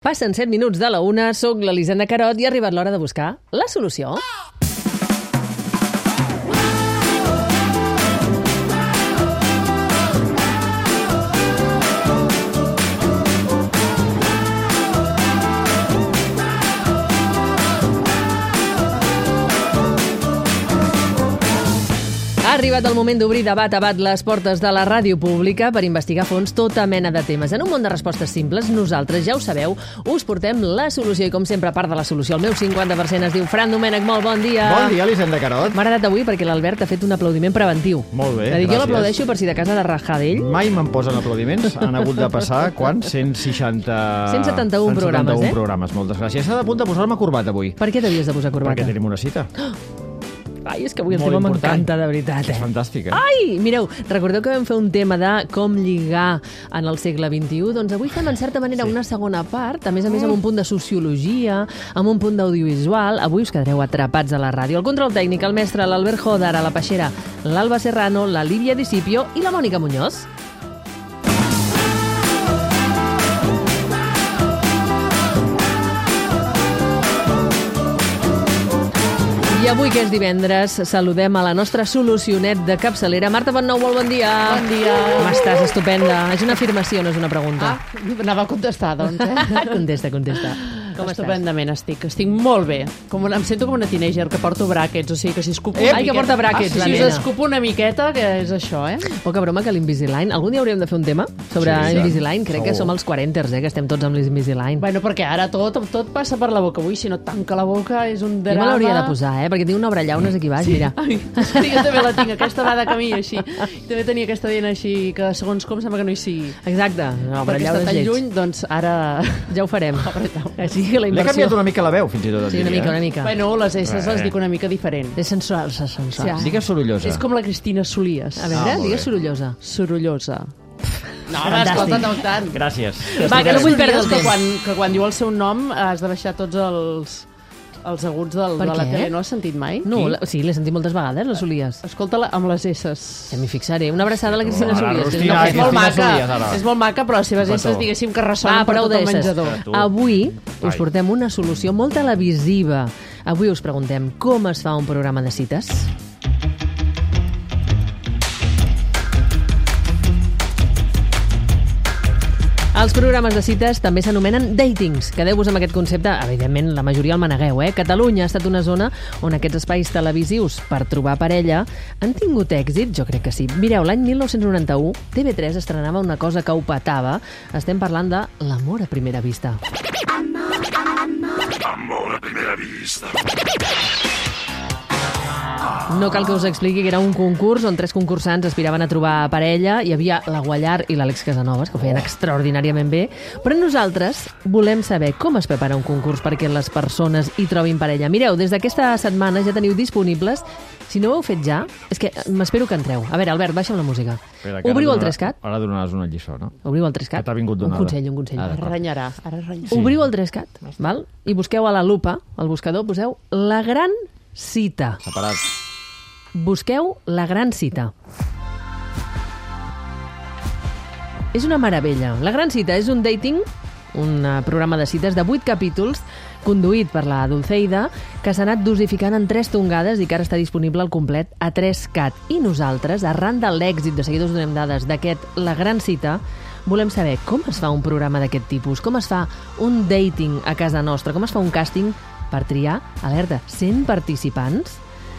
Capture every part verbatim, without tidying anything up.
Passen set minuts de la una, soc l'Elisenda Carot i ha arribat l'hora de buscar la solució. Ha arribat el moment d'obrir de bat a bat les portes de la ràdio pública per investigar a fons tota mena de temes. En un món de respostes simples, nosaltres, ja ho sabeu, us portem la solució i, com sempre, a part de la solució, el meu cinquanta per cent es diu Fran Domènech. Molt bon dia. Bon dia, Elisenda Carot. M'ha agradat avui perquè l'Albert ha fet un aplaudiment preventiu. Molt bé, gràcies. Jo gràcies. l'aplaudeixo per si de casa de rajar d'ell. Mai me'n posen aplaudiments. Han hagut de passar, quan? cent seixanta... cent setanta-un programes, eh? programes, moltes gràcies. S'ha de punt de posar-me corbata avui. Per què t'havies de posar corbata? Perquè tenim una cita. Ai, és que avui el Molt tema important. m'encanta, de veritat. Eh? És fantàstic, eh? Ai, mireu, recordeu que vam fer un tema de com lligar en el segle vint-i-u? Doncs avui fem, en certa manera, sí. una segona part, a més a més amb un punt de sociologia, amb un punt d'audiovisual. Avui us quedareu atrapats a la ràdio. El control tècnic, el mestre, l'Albert Joder, a la Peixera, l'Alba Serrano, la Lívia Discipio i la Mònica Muñoz. I avui, que és divendres, saludem a la nostra solucionet de capçalera, Marta Bonnou. Molt bon dia. Bon dia. Com estàs? Estupenda. És una afirmació, no és una pregunta. Ah, anava a contestar, doncs, eh? Contesta, contesta. Com Estupendament estic, estic molt bé. Com una, em sento com una teenager que porto bràquets, o sigui que si escupo una Ai, que miqueta... porta bràquets, ah, la si nena. us escupo una miqueta, que és això, eh? Poca broma que l'Invisalign... Algun dia hauríem de fer un tema sobre Sí, sí. Invisalign. Crec que Segur. som els quaranters, eh, que estem tots amb l'Invisalign. Bueno, perquè ara tot, tot passa per la boca. Avui, si no tanca la boca, és un Jo drama. me l'hauria de posar, eh, perquè tinc una obra llaunes aquí baix, mira. Ai, sí, jo també la tinc, aquesta va de camí així. I també tenia aquesta dent així, que segons com sembla que no hi sigui. Exacte. No, però Perquè allà està tan lleig. lluny, doncs ara... Ja ho farem. Així que la L'he inversió... canviat una mica la veu, fins i tot. et Sí, una diria, mica, eh? una mica. Bueno, les S les Eh. dic una mica diferent. És sensual, és sensual. Sí. Digues sorollosa. És com la Cristina Solies. A veure, Ah, molt digues bé. sorollosa. Sorollosa. No, home, Fantàstic. escolta, no tant. Gràcies. Va, que no vull perdre el que temps. quan, que quan diu el seu nom has de baixar tots els, els aguts del, Per de la què? tele. No has sentit mai? No, la, sí, l'he sentit moltes vegades, les Solies. Escolta-la amb les S's. Ja m'hi fixaré. Una abraçada a la Cristina Ara, Solies. Rostina, No, és molt Cristina maca, Solies, ara. és molt maca, però les seves Petó. S's, diguéssim, que Va, ressonen per prou tot el d'esses. menjador. Tu. Avui us Ai. portem una solució molt televisiva. Avui us preguntem com es fa un programa de cites. Els programes de cites també s'anomenen datings. Quedeu-vos amb aquest concepte. Evidentment, la majoria el manegueu, eh? Catalunya ha estat una zona on aquests espais televisius per trobar parella han tingut èxit? Jo crec que sí. Mireu, l'any mil nou-cents noranta-u, T V tres estrenava una cosa que ho petava. Estem parlant de l'amor a primera vista. No cal que us expliqui que era un concurs on tres concursants aspiraven a trobar parella. Hi havia la Guallar i l'Àlex Casanovas, que ho feien extraordinàriament bé. Però nosaltres volem saber com es prepara un concurs perquè les persones hi trobin parella. Mireu, des d'aquesta setmana ja teniu disponibles. Si no ho heu fet ja, és que m'espero que entreu. A veure, Albert, baixa'm la música. Espera, que ara Obriu el donarà- tres cat. Ara donaràs una lliçó, no? Obriu el tres cat. Que t'ha vingut Un donada. consell, un consell. Ah, Ara d'acord. renyarà, ara renyarà. Sí. Obriu el tres cat, val? I busqueu a la lupa, al buscador, poseu la gran cita. Separat. Busqueu la gran cita. És una meravella. La gran cita és un dating, un eh, programa de cites de vuit capítols, conduït per la Dulceida, que s'ha anat dosificant en tres tongades i que ara està disponible al complet a tres cat. I nosaltres, arran de l'èxit, de seguida us donem dades, d'aquest La Gran Cita, volem saber com es fa un programa d'aquest tipus, com es fa un dating a casa nostra, com es fa un càsting per triar, alerta, cent participants.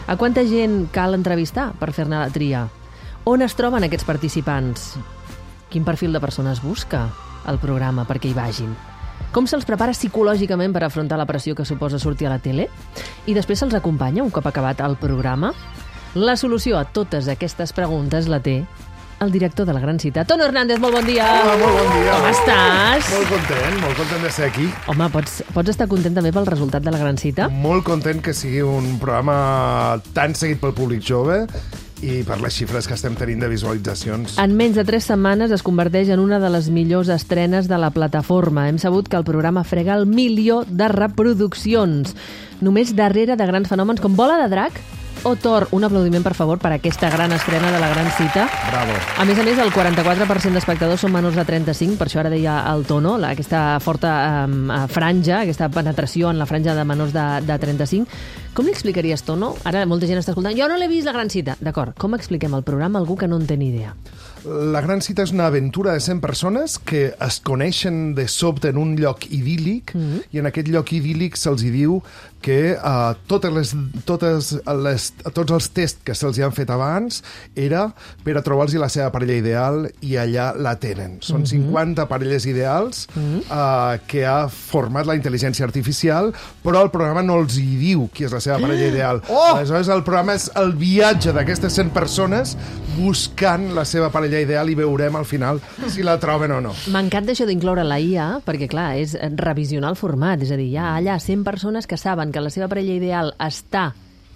A quanta gent cal entrevistar per fer-ne la tria? On es troben aquests participants? Quin perfil de persones busca el programa perquè hi vagin? Com se'ls prepara psicològicament per afrontar la pressió que suposa sortir a la tele? I després se'ls acompanya un cop acabat el programa? La solució a totes aquestes preguntes la té el director de La Gran Cita. Tono Hernández, molt bon dia! Hola, molt bon dia. Com estàs? Molt content, molt content de ser aquí. Home, pots, pots estar content també pel resultat de La Gran Cita? Molt content que sigui un programa tan seguit pel públic jove i per les xifres que estem tenint de visualitzacions. En menys de tres setmanes es converteix en una de les millors estrenes de la plataforma. Hem sabut que el programa frega el milió de reproduccions. Només darrere de grans fenòmens com Bola de Drac o Thor. Un aplaudiment, per favor, per aquesta gran estrena de la gran cita. Bravo. A més a més, el quaranta-quatre per cent d'espectadors són menors de trenta-cinc, per això ara deia el Tono, la, aquesta forta um, franja, aquesta penetració en la franja de menors de, de trenta-cinc. Com li explicaries, Tono? Ara molta gent està escoltant. Jo no l'he vist, la gran cita. D'acord, com expliquem el programa a algú que no en té ni idea? La gran cita és una aventura de cent persones que es coneixen de sobte en un lloc idíl·lic, mm-hmm. i en aquest lloc idíl·lic se'ls diu que uh, totes les, totes les, tots els tests que se'ls han fet abans era per a trobar-los la seva parella ideal, i allà la tenen. Són mm-hmm. cinquanta parelles ideals mm-hmm. uh, que ha format la intel·ligència artificial, però el programa no els hi diu qui és la seva parella ideal. Oh! Aleshores, el programa és el viatge d'aquestes cent persones buscant la seva parella ideal, i veurem al final si la troben o no. M'encanta això d'incloure la I A, perquè clar, és revisionar el format, és a dir, hi ha allà cent persones que saben que la seva parella ideal està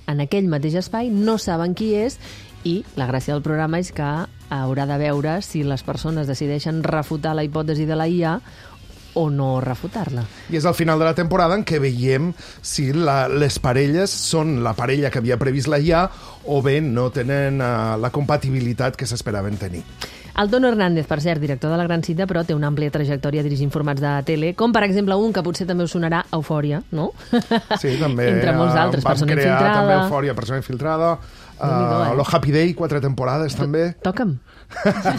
en aquell mateix espai, no saben qui és, i la gràcia del programa és que haurà de veure si les persones decideixen refutar la hipòtesi de la I A o no refutar-la. I és al final de la temporada en què veiem si la, les parelles són la parella que havia previst la I A o bé no tenen uh, la compatibilitat que s'esperaven tenir. El Tono Hernández, per cert, director de La Gran Cita, però té una àmplia trajectòria dirigint formats de tele, com per exemple un que potser també us sonarà, Eufòria, no? Sí, també. Entre molts altres, Persona Persona Infiltrada. Infiltrada. També Eufòria, Persona Infiltrada. Uh, eh? Lo Happy Day, quatre temporades, també. Toca'm.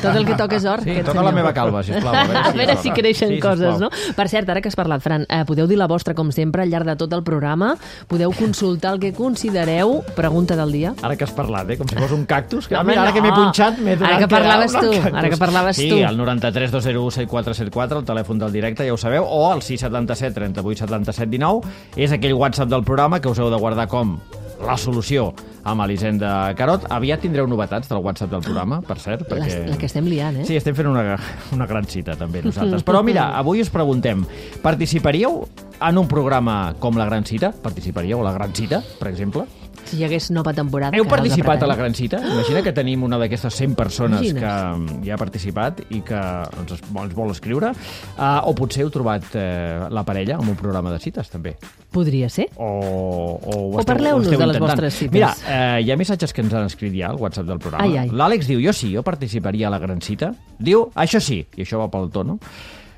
Tot el que toca és or. Sí, toca la meva calva, sisplau. A veure, A veure si creixen sí, coses, sisplau. no? Per cert, ara que has parlat, Fran, eh, podeu dir la vostra, com sempre, al llarg de tot el programa. Podeu consultar el que considereu. Pregunta del dia. Ara que has parlat, eh? Com si fos un cactus. Que, Home, mira, ara no. que m'he punxat, m'he donat Ara que parlaves era un tu, cactus. ara que parlaves sí, tu. Sí, el noranta-tres dos zero u set quatre set quatre, el telèfon del directe, ja ho sabeu, o el sis setanta-set trenta-vuit setanta-set dinou, és aquell WhatsApp del programa que us heu de guardar com la solució amb Elisenda Carot. Aviat tindreu novetats del WhatsApp del programa, per cert. Perquè... La, la que estem liant, eh? Sí, estem fent una, una gran cita, també, nosaltres. Però mira, avui us preguntem, participaríeu en un programa com La Gran Cita? Participaríeu a La Gran Cita, per exemple? Si hi hagués nova temporada... Heu que ara els participat a La apretem. Gran Cita? Imagina que tenim una d'aquestes cent persones Imagines. que hi ha participat i que ens, es- ens vol escriure. Uh, o potser heu trobat uh, la parella en un programa de cites, també. Podria ser. O, o, ho O esteu, parleu-nos ho esteu de les intentant. vostres cites. Mira, uh, hi ha missatges que ens han escrit ja al WhatsApp del programa. Ai, ai. L'Àlex diu, jo sí, jo participaria a La Gran Cita. Diu, això sí, i això va pel Tono,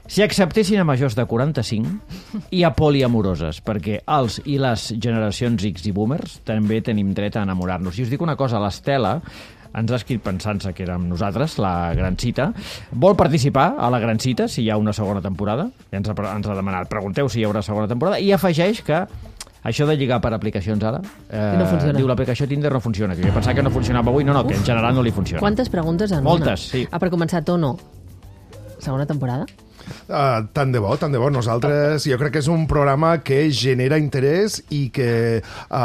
si acceptessin a majors de quaranta-cinc i a poliamoroses, perquè els i les generacions X i boomers també tenim dret a enamorar-nos. I us dic una cosa, l'Estela ens ha escrit pensant-se que érem nosaltres, La Gran Cita. Vol participar a La Gran Cita, si hi ha una segona temporada. Ja ens ha, ens ha demanat, pregunteu si hi haurà segona temporada. I afegeix que això de lligar per aplicacions ara, eh, No funciona. diu l'aplicació Tinder no funciona, que jo pensava que no funcionava avui, no, no, que en general no li funciona. Quantes preguntes en una? Moltes, sí. Ah, per començar, Tono, segona temporada? Uh, tant de bo, tant de bo. Nosaltres, jo crec que és un programa que genera interès i que uh,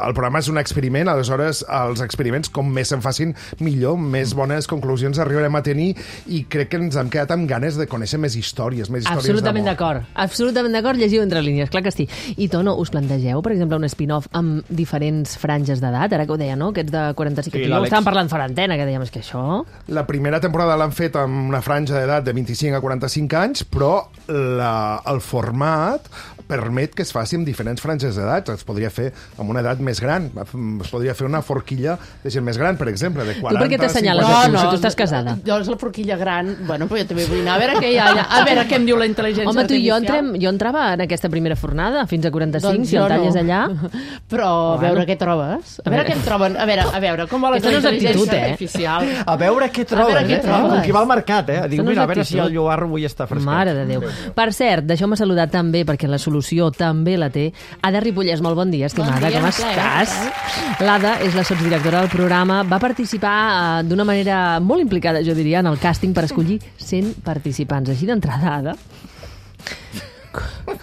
el programa és un experiment, aleshores els experiments, com més se'n facin, millor, més bones conclusions arribarem a tenir, i crec que ens hem quedat amb ganes de conèixer més històries, més històries Absolutament d'amor. d'acord. Absolutament d'acord, llegiu entre línies, clar que sí. I Tono, us plantegeu, per exemple, un spin-off amb diferents franges d'edat? Ara que ho deia, no? Aquests de quaranta-cinc, Sí, que l'Àlex. estàvem parlant fora antena, que dèiem, és que això... La primera temporada l'han fet amb una franja d'edat de vint-i-cinc a quaranta-cinc anys, però la, el format permet que es faci amb diferents franges d'edat. Es podria fer amb una edat més gran. Es podria fer una forquilla de gent més gran, per exemple, de quaranta... Tu per què t'assenyales cinquanta... a tu, si tu estàs casada? Jo és la forquilla gran. Bueno, però jo també vull anar a veure què hi ha allà. A veure què em diu la intel·ligència Home, tu i jo, artificial. entrem, jo entrava en aquesta primera fornada, fins a quaranta-cinc, Doncs si jo el talles no. allà... Però a veure què trobes. A veure què em troben. A veure, a veure, com va la Aquesta no és intel·ligència actitud, eh? artificial. A veure què trobes, A veure què eh? trobes. Com qui va al mercat, eh? Diu, Això no és mira, a veure si actitud. el lloarro avui està fresquet. Mare de Déu. Per cert, deixeu-me saludar també, perquè la solució també la té. Ada Ripollès, molt bon dia, estimada, Bon dia, com un plaer, estàs? L'Ada és la sotsdirectora del programa. Va participar eh, d'una manera molt implicada, jo diria, en el càsting per escollir cent participants. Així d'entrada, Ada.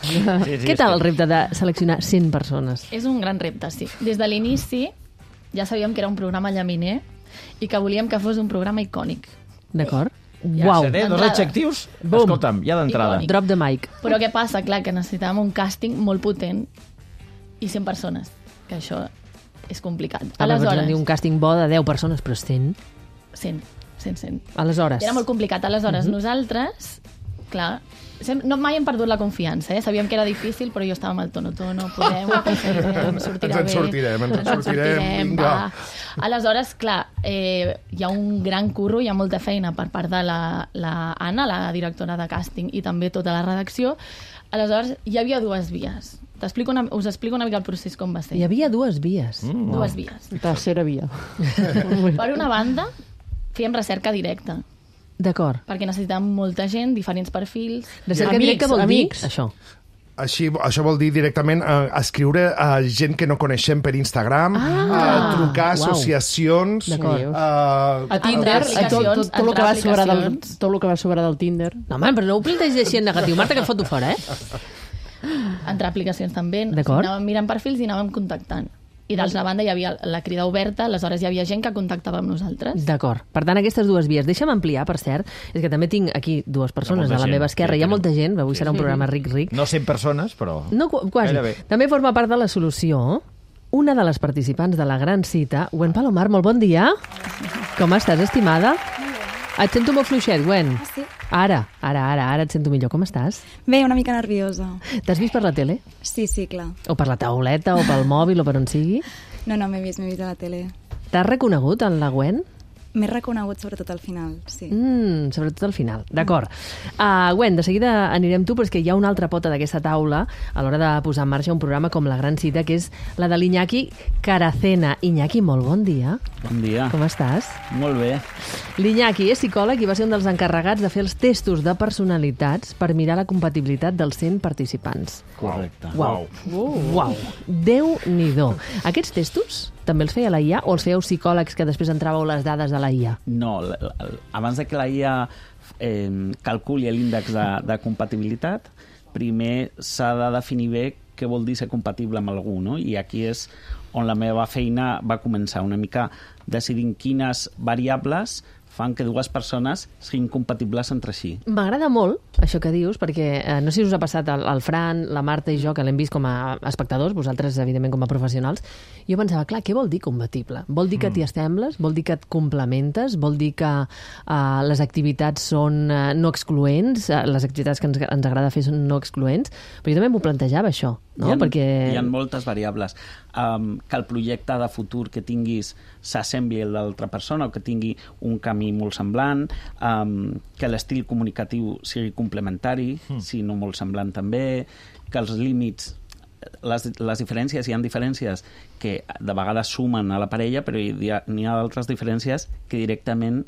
Sí, sí, Què tal el repte de seleccionar cent persones? És un gran repte, sí. Des de l'inici ja sabíem que era un programa llaminer i que volíem que fos un programa icònic. D'acord? Ja Uau. seré, dos D'entrada. adjectius? Bum. Escolta'm, ja d'entrada. Icònic. Drop the mic. Però què passa? Clar, que necessitàvem un càsting molt potent i cent persones, que això és complicat. Aleshores... Aleshores, dir un càsting bo de deu persones, però cent. cent, cent, cent. Aleshores... Era molt complicat. Aleshores, Mhm. nosaltres clar, no mai hem perdut la confiança, eh? Sabíem que era difícil, però jo estava amb el tono-tono, podem, ho aconseguirem, sortirà Ens en sortirem, bé. ens en sortirem, vinga. Va. Aleshores, clar, eh, hi ha un gran curro, hi ha molta feina per part de la, la Anna, la directora de càsting, i també tota la redacció. Aleshores, hi havia dues vies. T'explico una, us explico una mica el procés com va ser. Hi havia dues vies. Mm, dues no. vies. Tercera via. Per una banda, fèiem recerca directa. D'acord. Perquè necessitàvem molta gent, diferents perfils. Recerca amics, directa vol amics. dir això. Així, això vol dir directament eh, escriure a gent que no coneixem per Instagram, Ah, eh, trucar a uau. associacions... D'acord. Eh, A Tinder, a tot, tot, tot, el que va sobrar del, tot el que va sobrar del Tinder. No, home, però no ho plantegis així en negatiu. Marta, que et foto fora, eh? Entre aplicacions també. D'acord. Anàvem mirant perfils i anàvem contactant. I d'altra banda hi havia la crida oberta, aleshores hi havia gent que contactava amb nosaltres. D'acord. Per tant, aquestes dues vies. Deixa'm ampliar, per cert, és que també tinc aquí dues persones molta a la gent, meva esquerra. sí, Hi ha tenen- molta gent, avui sí, serà un sí. programa ric-ric. No cent persones, però... No, qu- quasi. Gairebé. També forma part de la solució una de les participants de la gran cita, Gwen Palomar, molt bon dia. Com estàs, estimada? Et sento molt fluixet, Gwen. Ah, sí? Ara, ara, ara, ara et sento millor. Com estàs? Bé, una mica nerviosa. T'has vist per la tele? Sí, sí, clar. O per la tauleta, o pel mòbil, o per on sigui? No, no, m'he vist, m'he vist a la tele. T'has reconegut en la Gwen? M'he reconegut sobretot al final, sí. Mm, sobretot al final. D'acord. Uh, Gwen, de seguida anirem tu, però és que hi ha una altra pota d'aquesta taula a l'hora de posar en marxa un programa com La Gran Cita, que és la de l'Iñaki Caracena. Iñaki, molt bon dia. Bon dia. Com estàs? Molt bé. L'Iñaki és psicòleg i va ser un dels encarregats de fer els testos de personalitats per mirar la compatibilitat dels cent participants. Correcte. Uau. Uh. Uau. Déu-n'hi-do. Aquests testos també els feia la I A o els fèieu psicòlegs que després entràveu les dades de la I A? No, l- l- abans de que la I A eh, calculi l'índex de, de compatibilitat, primer s'ha de definir bé què vol dir ser compatible amb algú, no? I aquí és on la meva feina va començar, una mica decidint quines variables fan que dues persones siguin compatibles entre si. M'agrada molt això que dius, perquè eh, no sé si us ha passat al, al Fran, la Marta i jo, que l'hem vist com a espectadors, vosaltres, evidentment, com a professionals. Jo pensava, clar, què vol dir compatible? Vol dir que t'hi assembles? Vol dir que et complementes? Vol dir que eh, les activitats són eh, no excloents? Eh, les activitats que ens, ens agrada fer són no excloents? Però jo també m'ho plantejava, això, no? Hi ha, perquè... hi ha moltes variables. Um, que el projecte de futur que tinguis s'assembli a l'altra persona o que tingui un camí molt semblant, um, que l'estil comunicatiu sigui complementari, mm. si no molt semblant també, que els límits, les, les diferències, hi ha diferències que de vegades sumen a la parella, però hi ha, n'hi ha d'altres diferències que directament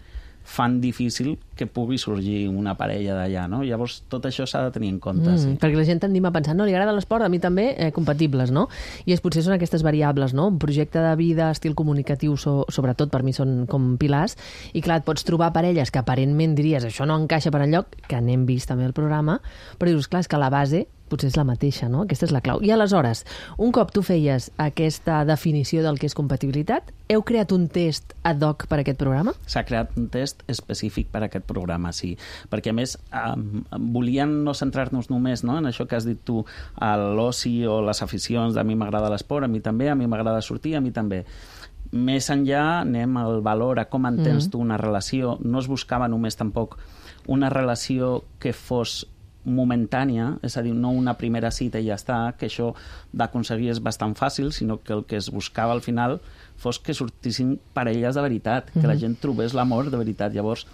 fan difícil que pugui sorgir una parella d'allà, no? Llavors, tot això s'ha de tenir en compte, Mm, sí. perquè la gent tendim a pensar, no, li agrada l'esport, a mi també, eh, compatibles, no? I és, potser són aquestes variables, no? Un projecte de vida, estil comunicatiu, so, sobretot per mi són com pilars, i clar, et pots trobar parelles que aparentment diries això no encaixa per enlloc, que n'hem vist també al programa, però dius, clar, és que la base potser és la mateixa, no? Aquesta és la clau. I aleshores, un cop tu feies aquesta definició del que és compatibilitat, heu creat un test ad hoc per a aquest programa? S'ha creat un test específic per a aquest programa, sí. Perquè, a més, um, volien no centrar-nos només, no?, en això que has dit tu, a l'oci o les aficions, a mi m'agrada l'esport, a mi també, a mi m'agrada sortir, a mi també. Més enllà anem al valor, a com entens mm. tu una relació. No es buscava només tampoc una relació que fos momentània, és a dir, no una primera cita i ja està, que això d'aconseguir és bastant fàcil, sinó que el que es buscava al final fos que sortissin parelles de veritat, que mm-hmm. la gent trobés l'amor de veritat. Llavors,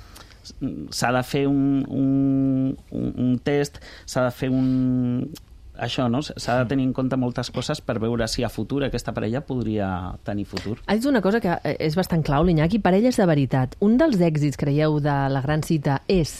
s'ha de fer un, un, un, un test, s'ha de fer un... Això, no? S'ha de tenir en compte moltes coses per veure si a futur aquesta parella podria tenir futur. Has dit una cosa que és bastant clau, l'Iñaki, parelles de veritat. Un dels èxits, creieu, de la gran cita és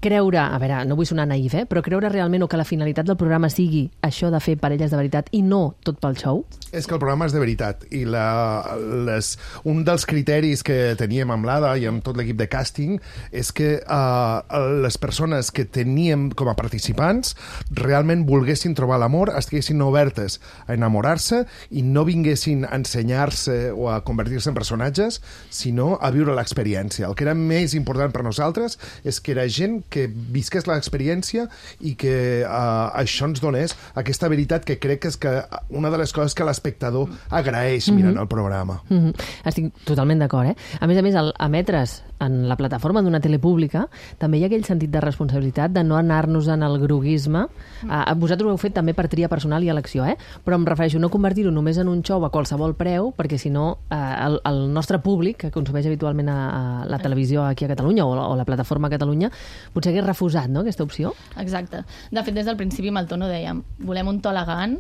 creure, a veure, no vull sonar naïf, eh, però creure realment o que la finalitat del programa sigui això de fer parelles de veritat i no tot pel show? És que el programa és de veritat i la, les, un dels criteris que teníem amb l'Ada i amb tot l'equip de càsting és que uh, les persones que teníem com a participants realment volguessin trobar l'amor, estiguessin obertes a enamorar-se i no vinguessin a ensenyar-se o a convertir-se en personatges, sinó a viure l'experiència. El que era més important per nosaltres és que era gent que visques l'experiència i que uh, això ens donés aquesta veritat que crec que és que una de les coses que l'espectador agraeix mirant mm-hmm. el programa. Mm-hmm. Estic totalment d'acord, eh? A més a més, el emetre's en la plataforma d'una tele pública també hi ha aquell sentit de responsabilitat de no anar-nos en el groguisme. Uh, vosaltres ho heu fet també per tria personal i elecció, eh? Però em refereixo no convertir-ho només en un show a qualsevol preu, perquè si no uh, el, el nostre públic, que consumeix habitualment a, a la televisió aquí a Catalunya o, o la plataforma a Catalunya, potser hagués refusat, no?, aquesta opció. Exacte. De fet, des del principi amb el tono dèiem, volem un to elegant,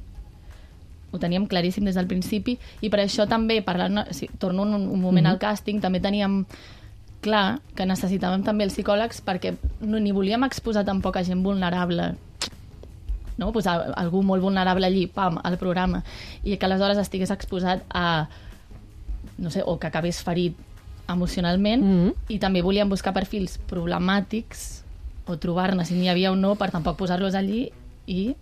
ho teníem claríssim des del principi, i per això també, parlant, si, torno un, un moment mm-hmm. al càsting, també teníem clar que necessitàvem també els psicòlegs perquè no, ni volíem exposar tampoc a gent vulnerable, no? Posar algú molt vulnerable allí, pam, al programa, i que aleshores estigués exposat a, no sé, o que acabés ferit emocionalment, mm-hmm. i també volíem buscar perfils problemàtics o trobar-ne si n'hi havia o no per tampoc posar-los allí i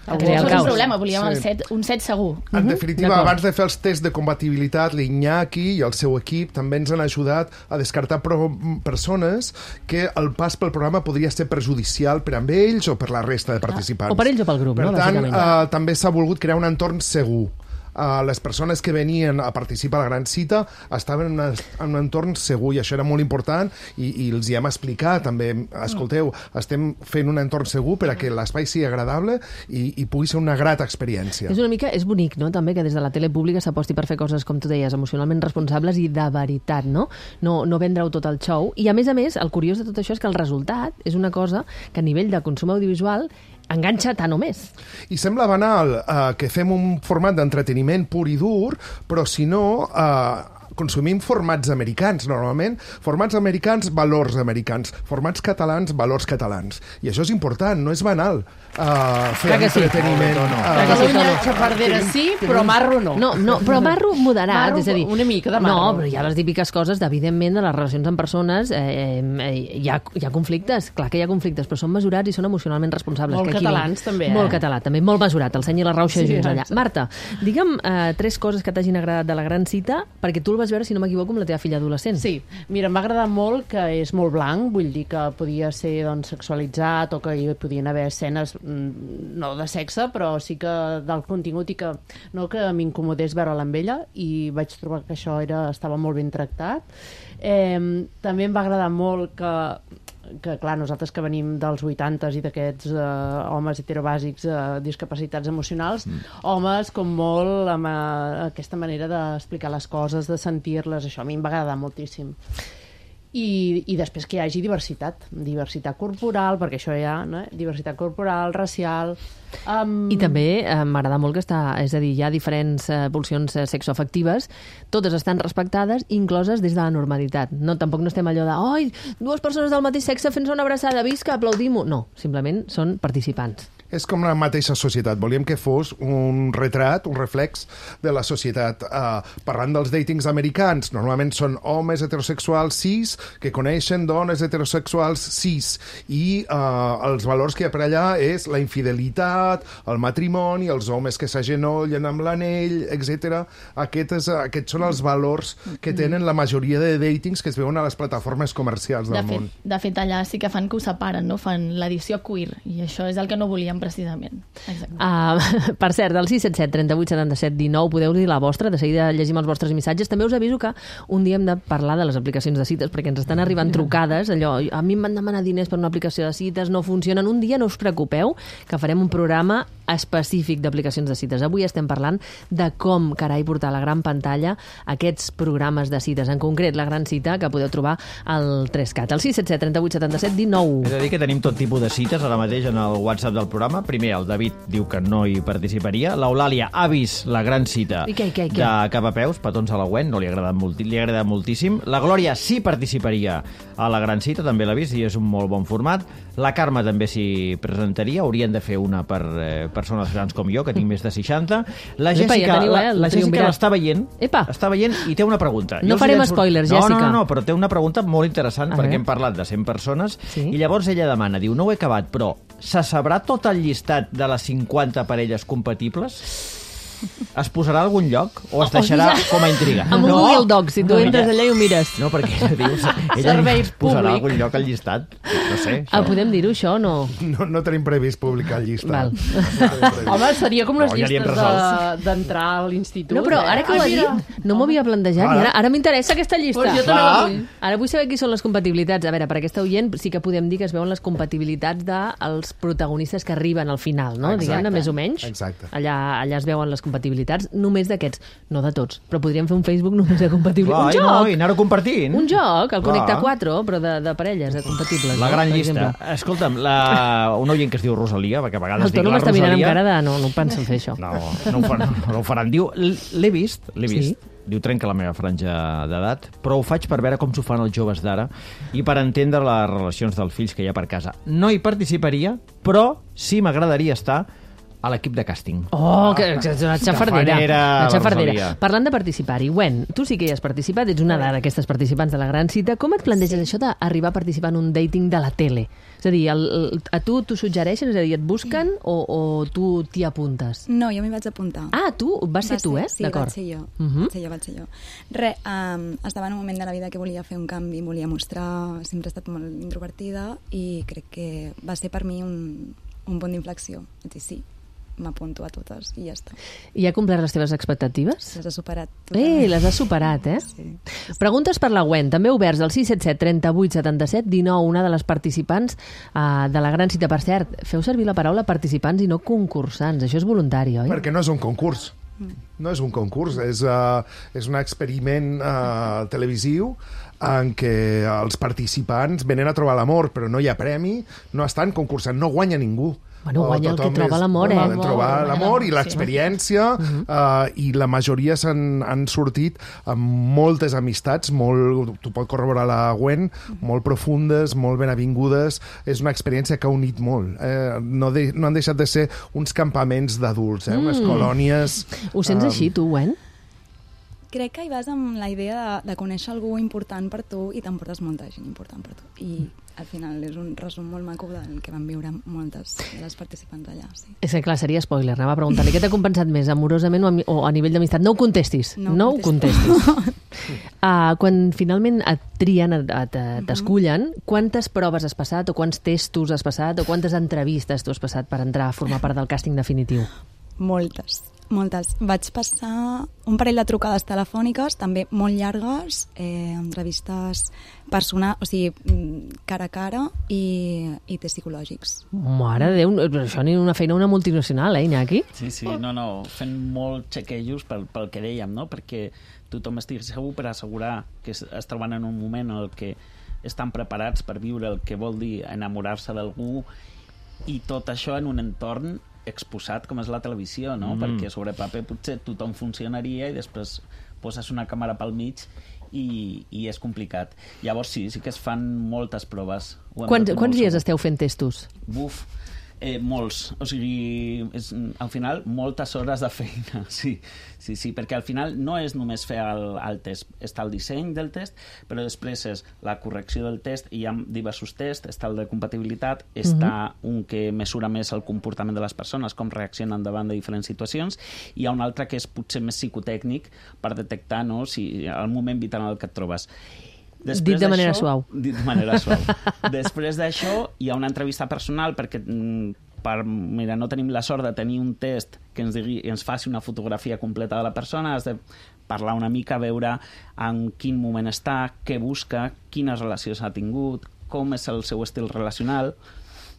Perquè no és un problema, volíem Sí. el set, un set segur. En definitiva, D'acord. abans de fer els tests de compatibilitat, l'Iñaki i el seu equip també ens han ajudat a descartar pro persones que el pas pel programa podria ser perjudicial per amb ells o per la resta de participants. O per ells o pel grup, per no? tant, Bàsicament. eh, també s'ha volgut crear un entorn segur. Uh, les persones que venien a participar a la gran cita estaven en, una, en un entorn segur i això era molt important i, i els hi hem explicat també, escolteu, estem fent un entorn segur per a que l'espai sigui agradable i, i pugui ser una grata experiència. És una mica, és bonic, no?, també que des de la tele pública s'aposti per fer coses, com tu deies, emocionalment responsables i de veritat, no? No, no vendre-ho tot el show. I a més a més, el curiós de tot això és que el resultat és una cosa que a nivell de consum audiovisual enganxa tant o més. I sembla banal eh, que fem un format d'entreteniment pur i dur, però si no... Eh, consumim formats americans, normalment. Formats americans, valors americans. Formats catalans, valors catalans. I això és important, no és banal. Uh, fer Clar que sí. entreteniment. No, no, no. Uh, Clar que sí, Catalunya, no. xafardera sí, però marro no. No, no, però marro moderat, Marro, és a dir... una mica de marro. No, però hi ha les típiques coses, evidentment, de les relacions amb persones, eh, eh, hi, ha, hi ha conflictes, clar que hi ha conflictes, però són mesurats i són emocionalment responsables. Molt que aquí catalans, no. també, eh? Molt català, també, molt mesurat, el seny i la rauxa Sí, junts allà. exacte. Marta, digue'm eh, tres coses que t'hagin agradat de la gran cita, perquè tu el vas veure, si no m'equivoco, amb la teva filla adolescent. Sí, mira, m'ha agradat molt que és molt blanc, vull dir que podia ser doncs, sexualitzat o que hi podien haver escenes mm, no de sexe, però sí que del contingut i que no que m'incomodés veure-la amb ella i vaig trobar que això era, estava molt ben tractat. Eh, també em va agradar molt que que, clar, nosaltres que venim dels vuitantes i d'aquests eh, homes heterobàsics eh, discapacitats emocionals, mm. homes com molt amb eh, aquesta manera d'explicar les coses, de sentir-les, això a mi em va agradar moltíssim. I, i després que hi hagi diversitat, diversitat corporal, perquè això hi ha, no? Diversitat corporal, racial... Um... I també eh, m'agrada molt que està, és a dir, hi ha diferents eh, pulsions eh, sexoafectives, totes estan respectades, incloses des de la normalitat. No, tampoc no estem allò de, oi, dues persones del mateix sexe fent-se una abraçada, visca, aplaudim-ho. No, simplement són participants. És com la mateixa societat. Volíem que fos un retrat, un reflex de la societat. Uh, parlant dels datings americans, normalment són homes heterosexuals cis que coneixen dones heterosexuals cis i uh, els valors que hi ha per allà és la infidelitat, el matrimoni, els homes que s'agenollen amb l'anell, etcètera. Aquests, aquests són els valors que tenen la majoria de datings que es veuen a les plataformes comercials del de fet, món. De fet, allà sí que fan que ho separen, no? Fan l'edició queer, i això és el que no volíem precisament. Exacte. Uh, per cert, del sis set set, trenta-vuit, setanta-set, dinou, podeu dir la vostra, de seguida llegim els vostres missatges. També us aviso que un dia hem de parlar de les aplicacions de cites, perquè ens estan arribant trucades, allò, a mi em van demanar diners per una aplicació de cites, no funcionen. Un dia no us preocupeu, que farem un programa específic d'aplicacions de cites. Avui estem parlant de com, carai, portar a la gran pantalla aquests programes de cites, en concret la gran cita que podeu trobar al tres cat, al sis set set, trenta-vuit, setanta-set, dinou. He de dir que tenim tot tipus de cites ara mateix en el WhatsApp del programa. Primer, el David diu que no hi participaria. L'Eulàlia ha vist la gran cita I què, i què, i què? de Cap a Peus, petons a la Gwen, no li ha agradat, molt, li ha agradat moltíssim. La Glòria sí participaria a la gran cita, també l'ha vist i és un molt bon format. La Carme també s'hi presentaria, haurien de fer una per eh, persones grans com jo, que tinc més de seixanta. La Epa, Jèssica, ja teniu, eh, la, el la Jèssica triumvirat. l'està veient, Epa. està veient i té una pregunta. No Jo us farem llanço- spoilers, no, Jèssica. No, no, no, però té una pregunta molt interessant, A perquè veure. hem parlat de cent persones, Sí. i llavors ella demana, diu, no ho he acabat, però se sabrà tot el llistat de les cinquanta parelles compatibles? Es posarà a algun lloc o es deixarà com a intriga? Amb un Google Doc, si tu No, entres ella- allà i ho mires. No, perquè dius, ella Servei es posarà a públic. algun lloc al llistat. No sé. Ah, podem dir-ho, això, o no? No, no tenim previst publicar el llistat. Val. No tenim previst. Home, seria com les No, ja li hem llistes resolt. de- d'entrar a l'institut. No, però ara que ho eh? ha Ai, mira. dit, no m'ho havia plantejat. I ara, ara m'interessa aquesta llista. Pues jo també la vull. Ara vull saber qui són les compatibilitats. A veure, per aquesta oient sí que podem dir que es veuen les compatibilitats dels protagonistes que arriben al final, no? Exacte. Diguem-ne, més o menys. Exacte. Allà, allà es veuen les compatibilitats, només d'aquests, no de tots, però podríem fer un Facebook només de compatibilitats. Clar, Un i no, joc! i anar-ho compartint. Un joc, el Connecta Clar. quatre, però de, de parelles, de compatibles. La no? gran Per llista. exemple. Escolta'm, la... una oient que es diu Rosalia, perquè a vegades El dic Toni la m'està mirant amb Rosalia... cara de no, no penso fer això. No, no ho faran. No ho faran. Diu, l'he vist, l'he vist. Sí? Diu, trenca la meva franja d'edat, però ho faig per veure com s'ho fan els joves d'ara i per entendre les relacions dels fills que hi ha per casa. No hi participaria, però sí m'agradaria estar a l'equip de càsting. Oh, que, que és una xafardera. Tafanera, Una la xafardera. Rosalia. Parlant de participar-hi, Gwen, tu sí que hi has participat, ets una d'aquestes participants de la gran cita. Com et planteges això d'arribar a participar en un dating de la tele? És a dir, el, el, a tu t'ho suggereixen, és a dir, et busquen o, o tu t'hi apuntes? No, jo m'hi vaig apuntar. Ah, tu? Vas ser Va tu, eh? Sí, D'acord. vaig ser jo. Uh -huh. Vaig ser jo, vaig ser jo. Re, um, estava en un moment de la vida que volia fer un canvi, volia mostrar... Sempre he estat molt introvertida i crec que va ser per mi un, un punt d'inflexió. Vaig dir, sí, m'apunto a totes i ja està. I ha complert les teves expectatives? Les ha superat Eh, totalment. les has superat, eh? Sí. Preguntes per la Gwen, també oberts al sis set set trenta vuit setanta set dinou, una de les participants uh, de la gran cita. Per cert, feu servir la paraula participants i no concursants, això és voluntari, oi? Perquè no és un concurs. No és un concurs, és, uh, és un experiment uh, televisiu en què els participants venen a trobar l'amor, però no hi ha premi, no estan concursant, no guanya ningú. Bueno, O guanya el que tothom troba és- l'amor, eh? Bueno, trobar Guanya l'amor i l'amor, l'experiència, uh, i la majoria s'han han sortit amb moltes amistats, molt, tu pot corroborar la Gwen, molt profundes, molt ben avingudes. És una experiència que ha unit molt. Eh? No, de, no han deixat de ser uns campaments d'adults, eh? unes colònies... Ho sents eh, així, tu, Gwen? Crec que hi vas amb la idea de, de conèixer algú important per tu i t'emportes molta gent important per tu. I al final és un resum molt maco del que van viure moltes de les participants allà. Sí. És que, clar, seria spoiler. Anava a preguntar-li què t'ha compensat més, amorosament o a, mi- o a nivell d'amistat. No ho contestis. No, No no ho ho contestis. uh, quan finalment et trien, et, et, t'escullen, quantes proves has passat, o quants testos has passat, o quantes entrevistes tu has passat per entrar a formar part del càsting definitiu? Moltes, moltes. Vaig passar un parell de trucades telefòniques, també molt llargues, eh, entrevistes personals, o sigui, mm, cara a cara i, i tests psicològics. Mare de Déu, però això ni una feina una multinacional, eh, Iñaki? Sí, sí, no, no, fent molt xequejos pel, pel que dèiem, no? Perquè tothom estigui segur per assegurar que es, es troben en un moment en el que estan preparats per viure el que vol dir enamorar-se d'algú, i tot això en un entorn exposat com és la televisió, no? Mm. Perquè sobre paper potser tothom funcionaria i després poses una càmera pel mig i, i és complicat. Llavors sí, sí que es fan moltes proves. Ho hem Quants, de fer quants molt dies segur. esteu fent testos? Buf, eh, molts. O sigui, és, al final, moltes hores de feina, sí. Sí, sí, perquè al final no és només fer el, el test. Està el disseny del test, però després és la correcció del test, i hi ha diversos tests. Està el de compatibilitat, està uh -huh. un que mesura més el comportament de les persones, com reaccionen davant de diferents situacions, i hi ha un altre que és potser més psicotècnic per detectar, no?, si el moment vital en el que et trobes. Dit de manera d'això- suau. Dit de manera suau. Després d'això hi ha una entrevista personal perquè mm, per, mira, no tenim la sort de tenir un test que ens, digui, ens faci una fotografia completa de la persona. Has de parlar una mica, veure en quin moment està, què busca, quines relacions ha tingut, com és el seu estil relacional.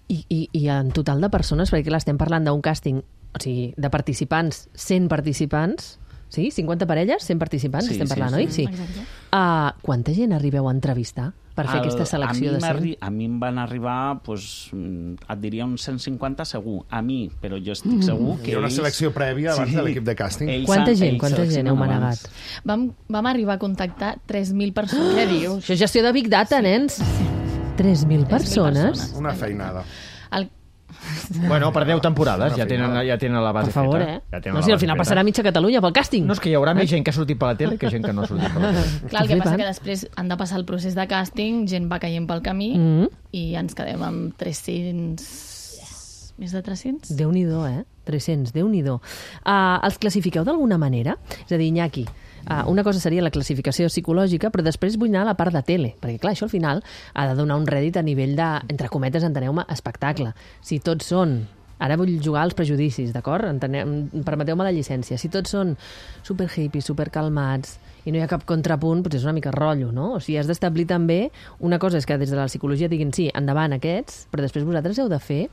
I, i, i en total de persones, perquè clar, estem parlant d'un càsting, o sigui, de participants, cent participants, sí? cinquanta parelles, cent participants, Sí, estem sí, parlant, sí. oi? Sí. Exacte. Uh, quanta gent arribeu a entrevistar per fer El- aquesta selecció a mi de cent? m'arri- A mi em van arribar, doncs, mm, et diria uns cent cinquanta segur. A mi, però jo estic segur que Hi ha una ells- selecció prèvia abans de l'equip de càsting. ells Quanta han- gent, ells quanta gent seleccionen heu abans. manegat? Vam, vam arribar a contactar tres mil persones. Què dius? Això és gestió de Big Data, nens. tres mil persones? persones. Una feinada. El, Bueno, per deu temporades Una ja tenen, feinada. ja tenen la base Per favor, feta. eh? Ja tenen No, la si al base final feta. passarà mitja Catalunya pel càsting. No, és que hi haurà més gent que ha sortit per la tele que gent que no ha sortit per la tele. clar, el que passa flipant. que després han de passar el procés de càsting, gent va caient pel camí Mm. i ens quedem amb tres-cents Més de tres-cents? Déu-n'hi-do, eh? tres-cents, Déu-n'hi-do. Uh, els classifiqueu d'alguna manera? És a dir, Iñaki, uh, una cosa seria la classificació psicològica, però després vull anar a la part de tele, perquè clar, això al final ha de donar un rèdit a nivell de, entre cometes, enteneu-me, espectacle. Si tots són... Ara vull jugar als prejudicis, d'acord? Permeteu-me la llicència. Si tots són super hippies, super calmats i no hi ha cap contrapunt, potser és una mica rotllo, no? O sigui, has d'establir també... Una cosa és que des de la psicologia diguin sí, endavant aquests, però després vosaltres heu de fer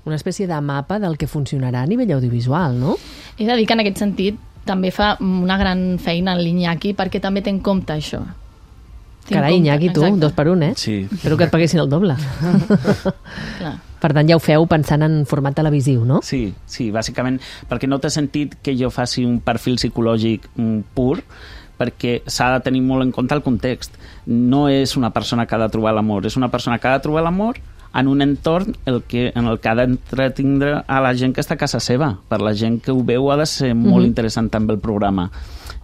una espècie de mapa del que funcionarà a nivell audiovisual, no? He de dir que en aquest sentit també fa una gran feina en l'Iñaki perquè també té en compte això. Carai, Iñaki, tu, exacte. Dos per un, eh? Sí. Espero que et paguessin el doble. Clar. Per tant, ja ho feu pensant en format televisiu, no? Sí, sí, bàsicament, perquè no té sentit que jo faci un perfil psicològic pur, perquè s'ha de tenir molt en compte el context. No és una persona que ha de trobar l'amor, és una persona que ha de trobar l'amor en un entorn el que, en el que ha d'entretindre a la gent que està a casa seva. Per la gent que ho veu ha de ser molt mm-hmm. interessant també el programa.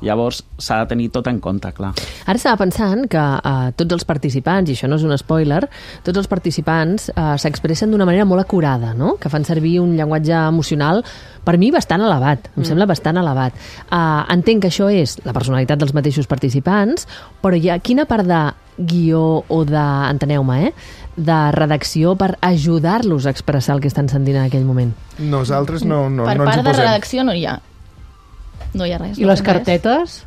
Llavors s'ha de tenir tot en compte, clar. Ara estava pensant que uh, tots els participants, i això no és un spoiler, tots els participants uh, s'expressen d'una manera molt acurada, no? Que fan servir un llenguatge emocional, per mi, bastant elevat. Em mm. sembla bastant elevat. Uh, entenc que això és la personalitat dels mateixos participants, però hi ha quina part de guió o de, enteneu-me, eh? de redacció per ajudar-los a expressar el que estan sentint en aquell moment? Nosaltres no, no, per no ens hi part posem. de redacció no hi ha. No hi ha res. I no les cartetes?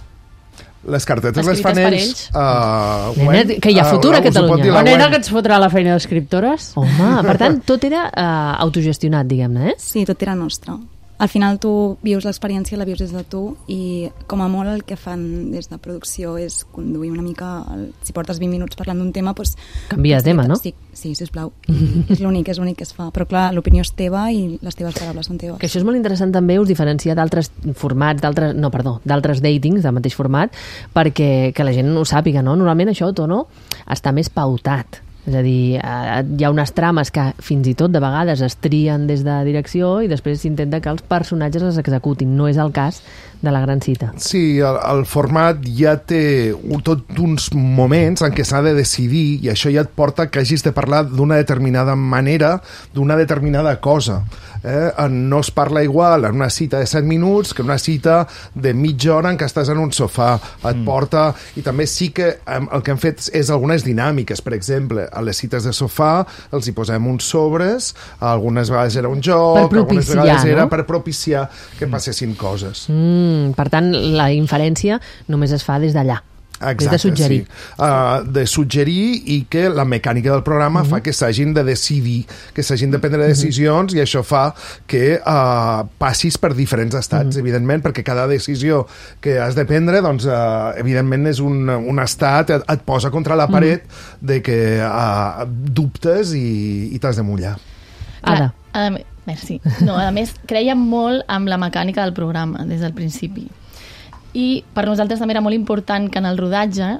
Les cartetes les Escrites fan per ells. ells. Uh, Nena, Gwen, que hi ha futur uh, a Catalunya. La nena que ens fotrà la feina d'escriptores? Home, per tant, tot era uh, autogestionat, diguem-ne, eh? Sí, tot era nostre. Al final tu vius l'experiència, la vius des de tu i com a molt el que fan des de producció és conduir una mica, el, si portes vint minuts parlant d'un tema, doncs... Canvia de tema, no? Sí, sí, sisplau. és l'únic, és l'únic que es fa. Però clar, l'opinió és teva i les teves paraules són teves. Que això és molt interessant també, us diferencia d'altres formats, d'altres, no, perdó, d'altres datings del mateix format, perquè que la gent ho sàpiga, no? Normalment això, Tono, està més pautat. És a dir, hi ha unes trames que fins i tot de vegades es trien des de direcció i després s'intenta que els personatges les executin. No és el cas de la gran cita. Sí, el, el format ja té un, tot uns moments en què s'ha de decidir i això ja et porta que hagis de parlar d'una determinada manera, d'una determinada cosa. Eh? No es parla igual en una cita de set minuts que una cita de mitja hora en què estàs en un sofà. Et mm. porta... I també sí que el que hem fet és algunes dinàmiques. Per exemple, a les cites de sofà els hi posem uns sobres, algunes vegades era un joc, propiciar, algunes vegades era no? per propiciar que passessin coses. Mm, per tant, la inferència només es fa des d'allà. Exacte, de suggerir. sí. Uh, de suggerir i que la mecànica del programa uh-huh. fa que s'hagin de decidir, que s'hagin de prendre decisions uh-huh. i això fa que uh, passis per diferents estats, uh-huh. evidentment, perquè cada decisió que has de prendre, doncs, uh, evidentment, és un, un estat, et, et posa contra la paret uh-huh. de que uh, dubtes i, i t'has de mullar. Ada. A, a, merci. No, a més, creiem molt amb la mecànica del programa des del principi. I per nosaltres també era molt important que en el rodatge,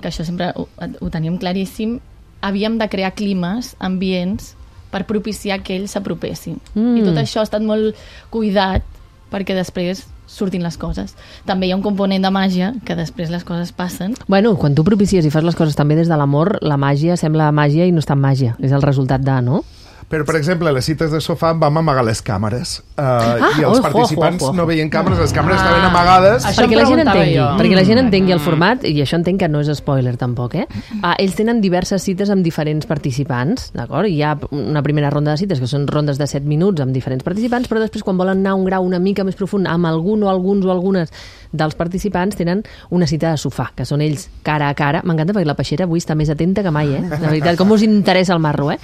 que això sempre ho, ho teníem claríssim, havíem de crear climes, ambients, per propiciar que ells s'apropessin. Mm. I tot això ha estat molt cuidat perquè després surtin les coses. També hi ha un component de màgia, que després les coses passen. Bueno, quan tu propicies i fas les coses també des de l'amor, la màgia sembla màgia i no és tan màgia. És el resultat de, no? Però, per exemple, a les cites de sofà vam amagar les càmeres. Uh, ah, I els oh, participants oh, oh, oh. no veien càmeres, les càmeres ah, estaven amagades. Això perquè la gent entengui, jo. perquè la gent entengui el format, i això entenc que no és spoiler tampoc, eh? Uh, ells tenen diverses cites amb diferents participants, d'acord? Hi ha una primera ronda de cites que són rondes de set minuts amb diferents participants, però després quan volen anar a un grau una mica més profund amb algun o alguns o algunes dels participants tenen una cita de sofà, que són ells cara a cara. M'encanta perquè la Peixera avui està més atenta que mai, eh? De veritat, com us interessa el marro, eh?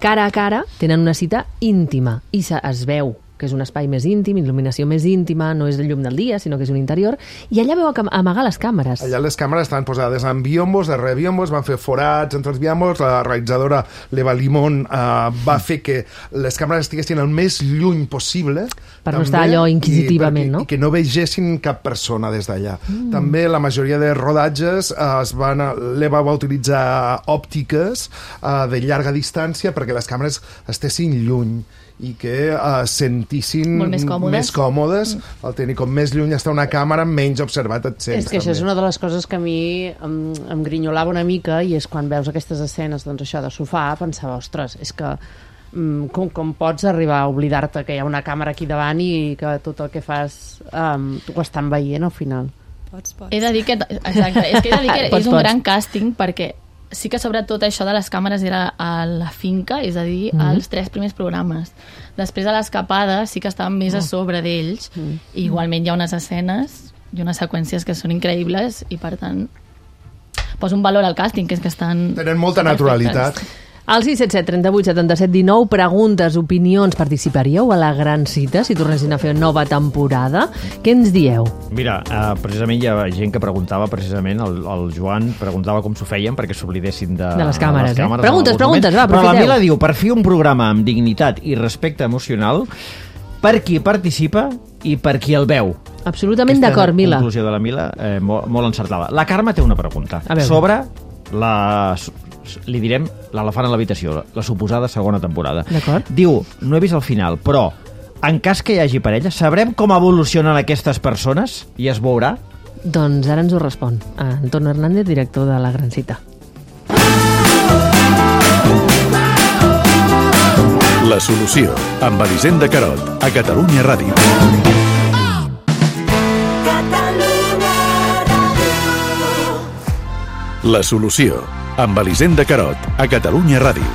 Cara a cara tenen una cita íntima i es veu que és un espai més íntim, il·luminació més íntima, no és el llum del dia, sinó que és un interior, i allà veu amagar les càmeres. Allà les càmeres estaven posades en biombos, darrere biombos, van fer forats entre els biombos, la realitzadora l'Eva Limón eh, va fer que les càmeres estiguessin el més lluny possible. Per no estar allò inquisitivament, i perquè, no? I que no vegessin cap persona des d'allà. Mm. També la majoria de rodatges eh, es van, l'Eva va utilitzar òptiques eh, de llarga distància perquè les càmeres estessin lluny i que uh, sentissin molt més còmodes, més còmodes mm. el tenir com més lluny està una càmera, menys observat et sents. És que això també. és una de les coses que a mi em, em grinyolava una mica, i és quan veus aquestes escenes, doncs això, de sofà, pensava, ostres, és que com, com pots arribar a oblidar-te que hi ha una càmera aquí davant i que tot el que fas um, ho estan veient al final. Pots, pots. He de dir que, exacte, és que he de dir que Pots, és un pots. gran càsting perquè sí que sobretot això de les càmeres era a la finca, és a dir, mm -hmm. als tres primers programes. Després a l'escapada sí que estàvem més a sobre d'ells mm -hmm. i igualment hi ha unes escenes i unes seqüències que són increïbles i per tant poso un valor al càsting, que és que estan... Tenen molta naturalitat. Al sis set set, trenta-vuit, setanta-set, dinou, preguntes, opinions, participaríeu a la gran cita si tornessin a fer nova temporada? Què ens dieu? Mira, eh, precisament hi ha gent que preguntava, precisament, el, el Joan preguntava com s'ho feien perquè s'oblidessin de, De les càmeres, les eh? càmeres Preguntes, en preguntes, va, Però la aprofiteu. Mila diu, per fer un programa amb dignitat i respecte emocional, per qui participa i per qui el veu. Absolutament d'acord, Mila. La conclusió de la Mila, eh, molt, molt encertada. La Carme té una pregunta A veure. sobre la... li direm l'elefant a l'habitació, la suposada segona temporada. D'acord. Diu, no he vist el final, però en cas que hi hagi parella, sabrem com evolucionen aquestes persones i es veurà? Doncs ara ens ho respon Anton Hernández, director de La Gran Cita. La solució, amb Elisenda Carot, a Catalunya Ràdio. La solució, amb Elisenda Carot, a Catalunya Ràdio.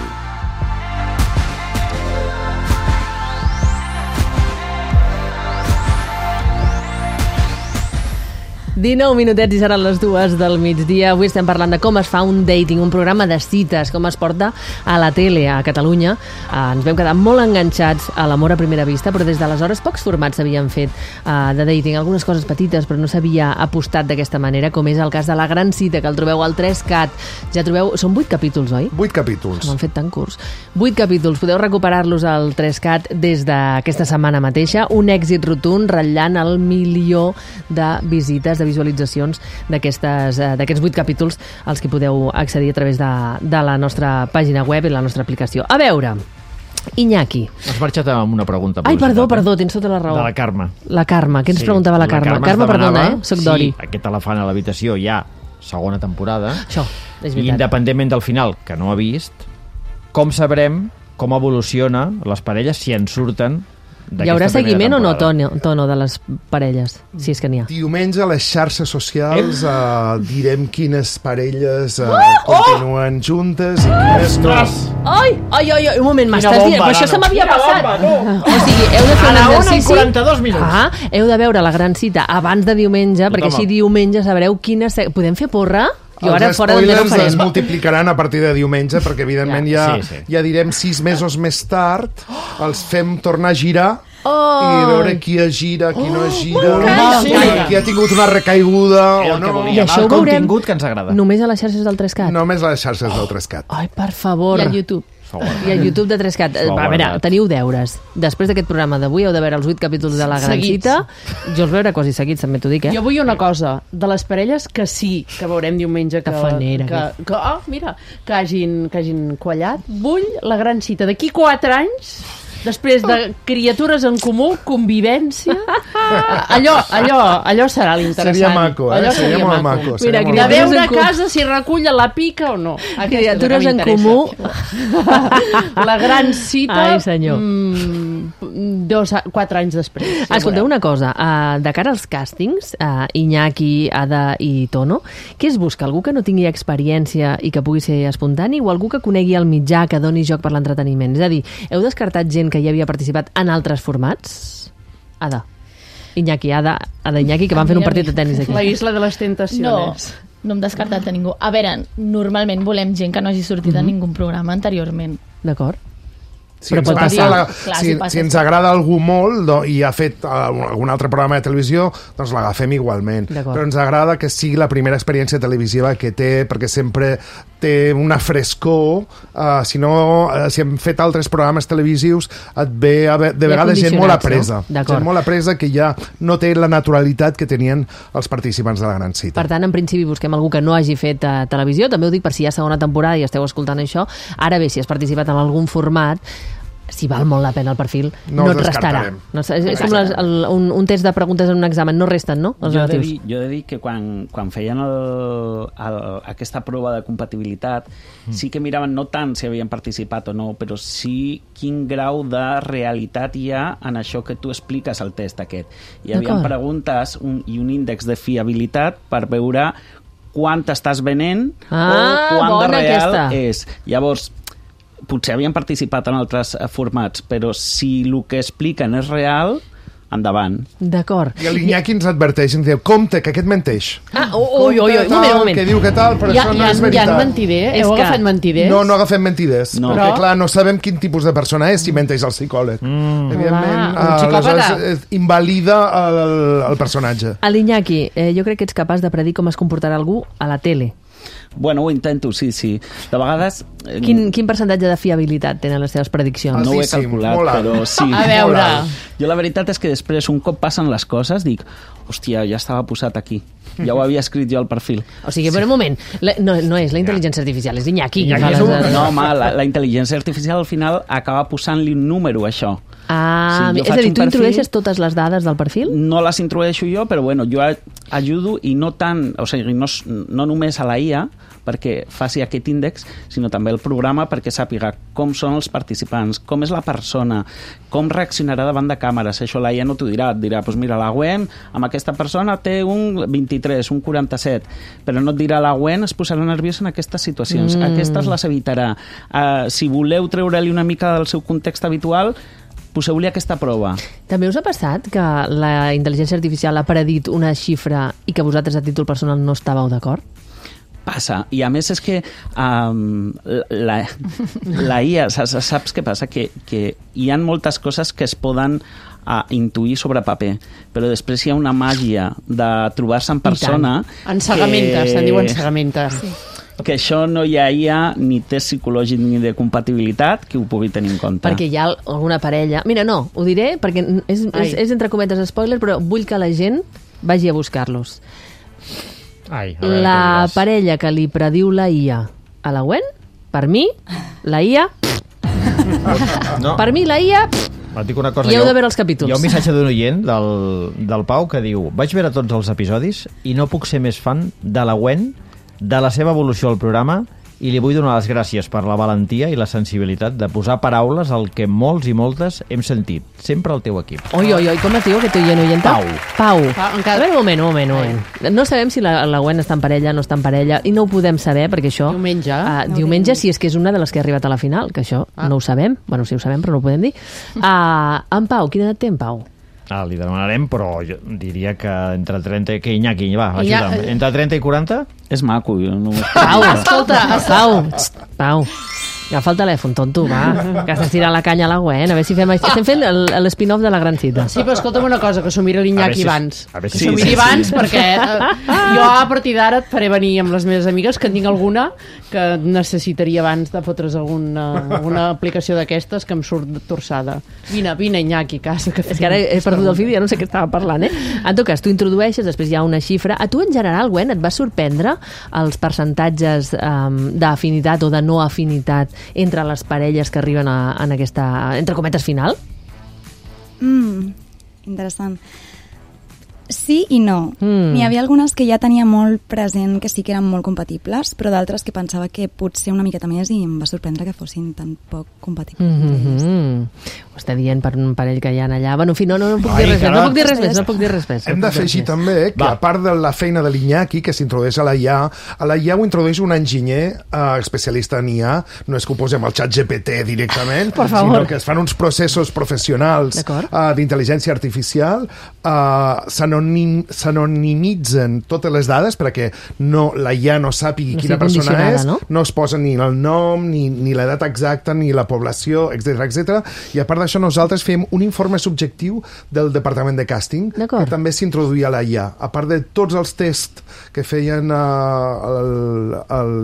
dinou minutets i seran les dues del migdia. Avui estem parlant de com es fa un dating, un programa de cites, com es porta a la tele a Catalunya. Eh, ens vam quedar molt enganxats a l'amor a primera vista, però des d'aleshores pocs formats s'havien fet eh, de dating, algunes coses petites, però no s'havia apostat d'aquesta manera, com és el cas de La Gran Cita, que el trobeu al tres cat. Ja trobeu... Són vuit capítols, oi? Vuit capítols. M'han fet tan curts. Vuit capítols. Podeu recuperar-los al tres cat des d'aquesta setmana mateixa. Un èxit rotund, ratllant el milió de visites, de visualitzacions d'aquestes eh, d'aquests vuit capítols als que podeu accedir a través de, de la nostra pàgina web i la nostra aplicació. A veure, Iñaki. Has marxat amb una pregunta. Ai, perdó, eh? perdó, tens tota la raó. De la Carme. La Carme. Què ens Sí, preguntava la Carme? Carme, Carme, es perdona, demanava eh? Soc Dori. Si aquest elefant a l'habitació hi ha segona temporada, Això, és i veritat. independentment del final, que no ha vist, com sabrem com evoluciona les parelles si en surten Hi haurà d'aquesta primera seguiment o no, temporada? Tono, tono de les parelles? Si és que n'hi ha. Diumenge a les xarxes socials uh, direm quines parelles uh, Oh! continuen juntes i quines no. Ai, ai, ai, ai, un moment, m'estàs bomba, dient... Però això nano. se m'havia Quina passat. bomba, no. O sigui, heu de fer A un la una i exercici... quaranta-dos minuts. Ah, heu de veure La Gran Cita abans de diumenge, perquè Tothom. així diumenge sabreu quines... se- Podem fer porra? Jo ara Els fora de no spoilers es farem. multiplicaran a partir de diumenge, perquè evidentment ja, Sí, sí. ja direm sis mesos més tard, els fem tornar a girar Oh! i veure qui es gira, qui no es gira, m'encanta. qui, qui ha tingut una recaiguda Era o el que no. volíem, I això el ho veurem contingut que ens agrada. Només a les xarxes del tres cat? Només a les xarxes del tres cat. Ai, per favor. I al YouTube. I al YouTube de tres cat. S'ho ha A veure, guardat. teniu deures. Després d'aquest programa d'avui heu de veure els vuit capítols de La Gran Seguits. Cita. Jo els veuré quasi seguits, també t'ho dic, eh? Jo vull una cosa, de les parelles que sí, que veurem diumenge que, Tafanera, que, que, oh, mira, que hagin, que hagin quallat. Vull La Gran Cita d'aquí quatre anys, després de criatures en comú, convivència, allò, allò, allò serà l'interessant. Seria maco, eh? Allò Seria molt maco. Mira, seria molt De criatures veure en a comú. casa si recull la pica o no. Aquesta és la que Criatures en m'interessa. comú. La Gran Cita, Ai, senyor. mm, dos, quatre anys després. Ja Escolteu veureu. una cosa, uh, de cara als càstings, uh, Iñaki, Ada i Tono, què es busca? Algú que no tingui experiència i que pugui ser espontani o algú que conegui el mitjà, que doni joc per l'entreteniment? És a dir, heu descartat gent que ja havia participat en altres formats? Ada. Iñaki, Ada, Ada Iñaki, que van fer un partit de tennis aquí. La isla de les No, tentacions. no hem descartat a ningú. A veure, normalment volem gent que no hagi sortit mm -hmm. en ningú programa anteriorment. D'acord? Si Però ens, pot passa passar. la, Clar, si, si passa, si ens sí. agrada algú molt do, i ha fet uh, algun altre programa de televisió, doncs l'agafem igualment. D'acord. Però ens agrada que sigui la primera experiència televisiva que té, perquè sempre té una frescor. Uh, si no, uh, si hem fet altres programes televisius, et ve a ve, de Ja vegades gent molt condicionats, apresa. no? D'acord. Gent molt apresa que ja no té la naturalitat que tenien els participants de la Gran Cita. Per tant, en principi busquem algú que no hagi fet uh, televisió. També ho dic per si hi ha segona temporada i esteu escoltant això. Ara bé, si has participat en algun format, si val molt la pena el perfil, No no, els et restarà. descartarem. No, és és com les, el, un, un test de preguntes en un examen, no resten, no? Els Jo he, de relatius. dir, jo he de dir que quan, quan feien el, el, aquesta prova de compatibilitat mm. sí que miraven no tant si havien participat o no, però sí quin grau de realitat hi ha en això que tu expliques al test aquest. Hi havia preguntes un, i un índex de fiabilitat per veure quant estàs venent Ah, o quant de bona real aquesta. és. Llavors, potser havien participat en altres eh, formats, però si el que expliquen és real, endavant. D'acord. I l'Iñaki ens adverteix, ens diu, compte, que aquest menteix. Ah, ui, ui, ui, un Compte, moment, tal, un moment. Que diu que tal, però Hi ha, això hi no ha, és hi ha veritat. mentider? És Heu que- agafat mentiders? No, no agafem mentiders, No. perquè Però- clar, no sabem quin tipus de persona és si menteix el psicòleg. Mm. Evidentment, Clar, un eh, psicòpata. aleshores eh, invalida el, el personatge. A l'Iñaki, eh, jo crec que ets capaç de predir com es comportarà algú a la tele. Bueno, ho intento, sí, sí. De vegades... eh, Quin, quin percentatge de fiabilitat tenen les teves prediccions? No ho he Altíssim, calculat, molt alt. però sí. A veure. Molt alt. Jo la veritat és que després, un cop passen les coses, dic, hòstia, ja estava posat aquí. Ja ho havia escrit jo al perfil. O sigui, per un moment, la, no, no és la intel·ligència artificial, és Iñaki. qui Iñaki fa és les- un- No, home, la, la intel·ligència artificial al final acaba posant-li un número a això. Ah, Sí, jo és a faig dir, un tu perfil- introdueixes totes les dades del perfil? No les introdueixo jo, però bueno, jo a- ajudo i no tant, o sigui, no, s- no només a la I A perquè faci aquest índex, sinó també el programa perquè sàpiga com són els participants, com és la persona, com reaccionarà davant de càmeres. Això la I A no t'ho dirà, et dirà, doncs mira, la Gwen amb aquesta persona té un vint-i-tres, un quaranta-set, però no et dirà la Gwen es posarà nerviosa en aquestes situacions, mm. aquestes les evitarà. Uh, si voleu treure-li una mica del seu context habitual, poseu-li aquesta prova. També us ha passat que la intel·ligència artificial ha predit una xifra i que vosaltres a títol personal no estàveu d'acord? Passa, i a més és que um, la, la I A, saps, saps què passa? Que, que hi ha moltes coses que es poden uh, intuir sobre paper, però després hi ha una màgia de trobar-se en persona... Ensegamentes, que- se'n diu ensegamentes. Sí. que això no hi ha I A ni test psicològic ni de compatibilitat que ho pugui tenir en compte. Perquè hi ha alguna parella... Mira, no, ho diré perquè és, és, és entre cometes spoiler, però vull que la gent vagi a buscar-los. Ai, a veure La què diràs. parella que li prediu la I A a la Gwen, per mi, la I A... No, Per mi, la I A... et dic una cosa. I heu jo- de veure els capítols. Hi ha un missatge d'un oient, del, del Pau, que diu: vaig veure tots els episodis i no puc ser més fan de la Gwen, de la seva evolució al programa, i li vull donar les gràcies per la valentia i la sensibilitat de posar paraules al que molts i moltes hem sentit. Sempre al teu equip. Oi, oi, oi, com es diu aquest oient oyenta? Pau. Pau. Pau, A encara- veure, un moment, un moment, un moment. No sabem si la, la Gwen està en parella, no està en parella, i no ho podem saber, perquè això... Diumenge. Uh, No diumenge, tenim- si és que és una de les que ha arribat a la final, que això Ah. no ho sabem. Bueno, sí ho sabem, però no ho podem dir. Uh, en Pau, quina edat té en Pau? Ah, li demanarem, però jo diria que entre trenta... Que Iñaki, va, Iña- ajuda'm. Entre trenta i quaranta? És maco, jo no... Pau, escolta, Pau, txt, Pau. Agafa el telèfon, tonto, va, que estàs tirant la canya a la Gwen, a veure si fem... Estem fent el- l'spin-off de la gran cita. Sí, però escolta'm una cosa, que s'ho miri A l'Iñaki veure si- abans. a veure si- Que s'ho Sí, miri sí, abans, sí. perquè eh, jo a partir d'ara et faré venir amb les meves amigues, que en tinc alguna que necessitaria abans de fotre's alguna, alguna aplicació d'aquestes que em surt torçada. Vine, vine, Iñaki, casa. Que És que ara he perdut el fil i ja no sé què estava parlant, eh? En tot cas, tu introdueixes, després hi ha una xifra. A tu, en general, Gwen, et va sorprendre els percentatges um, d'afinitat o de no afinitat entre les parelles que arriben a, en aquesta, entre cometes, final? Mm, interessant. Sí i no. Mm. N'hi havia algunes que ja tenia molt present que sí que eren molt compatibles, però d'altres que pensava que potser una miqueta més i em va sorprendre que fossin tan poc compatibles. Mm entre elles. -hmm. Ho està dient per un parell que hi ha allà. Bueno, en fi, no, no, no puc Ai, dir res més, no caram. puc dir res més, no puc dir res més. Hem no puc dir d'afegir res més. també que, Va. a part de la feina de l'Iñaki, que s'introdueix a la I A, a la I A ho introdueix un enginyer eh, especialista en I A, no és que ho posem al xat G P T directament, Por favor. sinó que es fan uns processos professionals D'acord. eh, d'intel·ligència artificial, eh, s'anonim, s'anonimitzen totes les dades perquè no, la I A no sàpigui No quina sigui persona condicionada, és, no? no es posa ni el nom, ni, ni l'edat exacta, ni la població, etcètera, etcètera. I a part d'això, nosaltres fem un informe subjectiu del departament de càsting, D'acord. que també s'introduïa a la I A. A part de tots els tests que feien uh,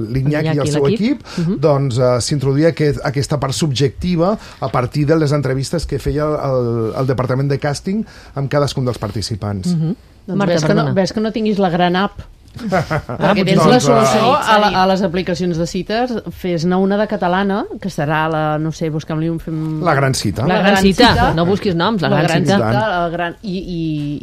l'Iñaki i L'Iñaki el i seu l'equip. equip, uh-huh. doncs uh, s'introduïa aquest, aquesta part subjectiva a partir de les entrevistes que feia el, el departament de càsting amb cadascun dels participants. Uh-huh. Doncs Marta, ves, que no, perdona. ves que no tinguis la gran app Perquè tens doncs, la solució eh, a, la, a les aplicacions de cites, fes-ne una de catalana, que serà la, no sé, busca'm-li un... Fem... La gran cita. La gran cita. No busquis noms, la gran cita. La gran... I, i,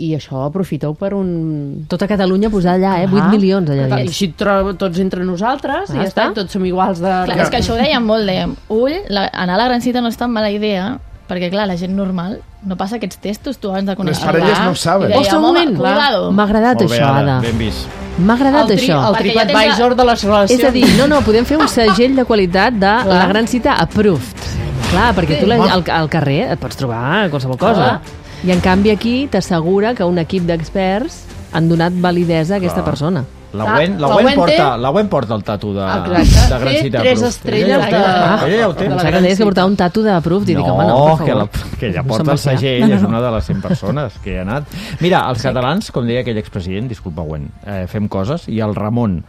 I això aprofiteu per un... Tota Catalunya posar allà, eh? vuit milions allà I dins. així tro- tots entre nosaltres, Ah, i ja està, està. tots som iguals de... Clar, és que això ho dèiem molt, dèiem, ull, la, anar a la gran cita no és tan mala idea, perquè, clar, la gent normal no passa aquests testos, tu abans de conèixer. Les parelles no ho saben. I dèiem, Ostres, un home, moment, cuidado. m'ha agradat Molt bé, això, Ada, Ada. ben vist. M'ha agradat El, tri, això. el Perquè ja TripAdvisor tens de les relacions. És a dir, no, no, podem fer un segell de qualitat de Clar. la gran cita approved. Clar, perquè tu la, al, al carrer et pots trobar qualsevol cosa. I en canvi aquí t'assegura que un equip d'experts han donat validesa a aquesta Clar. persona. La Ah, Gwen, la la Gwen Gwen porta, té- la Gwen porta el tatu de, Exacte. de gran Té cita. tres Proof. estrelles Ella ja ho té. de- Ella ja ho té. de la Pensava que gran deies que cita. portava un tatu de approved i dic, home, no, per que, favor. la, que ja No porta se'n el va fiar. segell, és una de les cent persones que hi ha anat. Mira, els catalans, com deia aquell expresident, disculpa, Gwen, eh, fem coses, i el Ramon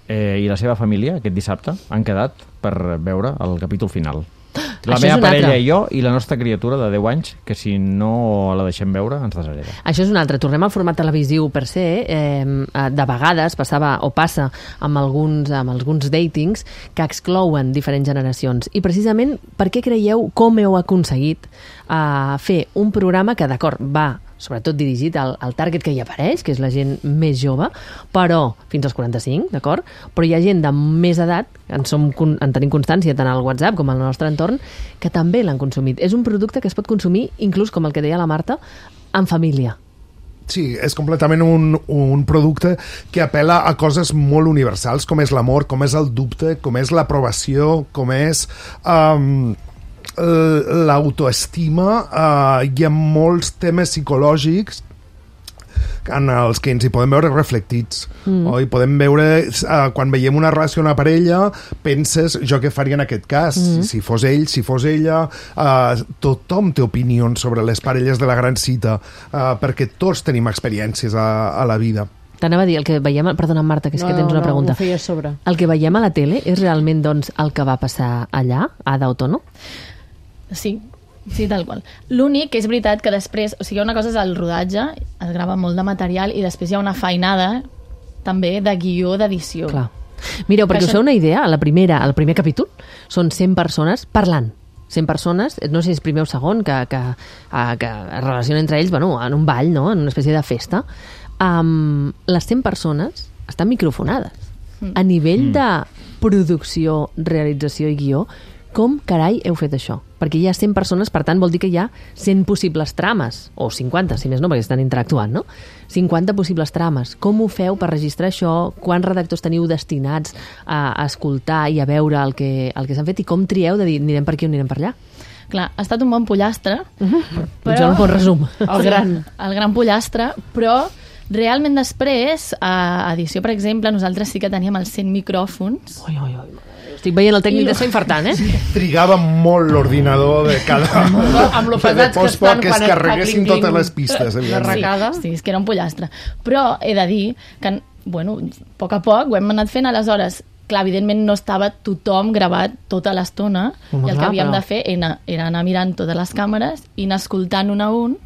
eh, i la seva família aquest dissabte han quedat per veure el capítol final. La Això és meva un parella altre. i jo i la nostra criatura de deu anys, que si no la deixem veure ens deshereda. Això és un altre. Tornem al format televisiu per se. Eh, de vegades passava o passa amb alguns, amb alguns datings que exclouen diferents generacions. I precisament per què creieu, com heu aconseguit eh, fer un programa que, d'acord, va sobretot dirigit al, al target que hi apareix, que és la gent més jove, però fins als quaranta-cinc, d'acord? Però hi ha gent de més edat, en, som, en tenim constància tant al WhatsApp com al nostre entorn, que també l'han consumit. És un producte que es pot consumir, inclús, com el que deia la Marta, en família. Sí, és completament un, un producte que apel·la a coses molt universals, com és l'amor, com és el dubte, com és l'aprovació, com és... Um, l'autoestima, uh, hi ha molts temes psicològics en els que ens hi podem veure reflectits. Mm. O hi podem veure, uh, quan veiem una relació una parella, penses, jo què faria en aquest cas? Mm. Si, si fos ell, si fos ella... Uh, tothom té opinions sobre les parelles de la gran cita, uh, perquè tots tenim experiències a, a la vida. T'anava a dir, el que veiem... Perdona, Marta, que és No, que tens una no, pregunta. ho feia a sobre. El que veiem a la tele és realment, doncs, el que va passar allà, a Ada Otono? Sí, sí, tal qual. L'únic que és veritat que després... O sigui, una cosa és el rodatge, es grava molt de material, i després hi ha una feinada també de guió d'edició. Clar. Mireu, perquè Això- us feu una idea, a la primera, al primer capítol són cent persones parlant. cent persones, no sé si és primer o segon, que, que, uh, que es relacionen entre ells, bueno, en un ball, no?, en una espècie de festa. Um, les cent persones estan microfonades. Mm. A nivell de producció, realització i guió, com carai heu fet això? Perquè hi ha cent persones, per tant, vol dir que hi ha cent possibles trames, o cinquanta, si més no, perquè estan interactuant, no? cinquanta possibles trames. Com ho feu per registrar això? Quants redactors teniu destinats a, a escoltar i a veure el que, el que s'han fet? I com trieu de dir, anirem per aquí o anirem per allà? Clar, ha estat un bon pollastre, Doncs un bon resum. El gran. el gran pollastre, però realment després, a edició, per exemple, nosaltres sí que teníem els cent micròfons. Oi, oi, oi. Estic veient el tècnic I- d'està infartant, eh? Trigava molt l'ordinador de cada... Amb lo de pesats que post-poc estan que es quan es fa carreguessin clinc-clinc totes les pistes. de evidentment. recada. Sí, és que era un pollastre. Però he de dir que, bueno, a poc a poc ho hem anat fent, aleshores, clar, evidentment no estava tothom gravat tota l'estona, Home, i el clar, que havíem però- de fer era, era anar mirant totes les càmeres i anar escoltant un a un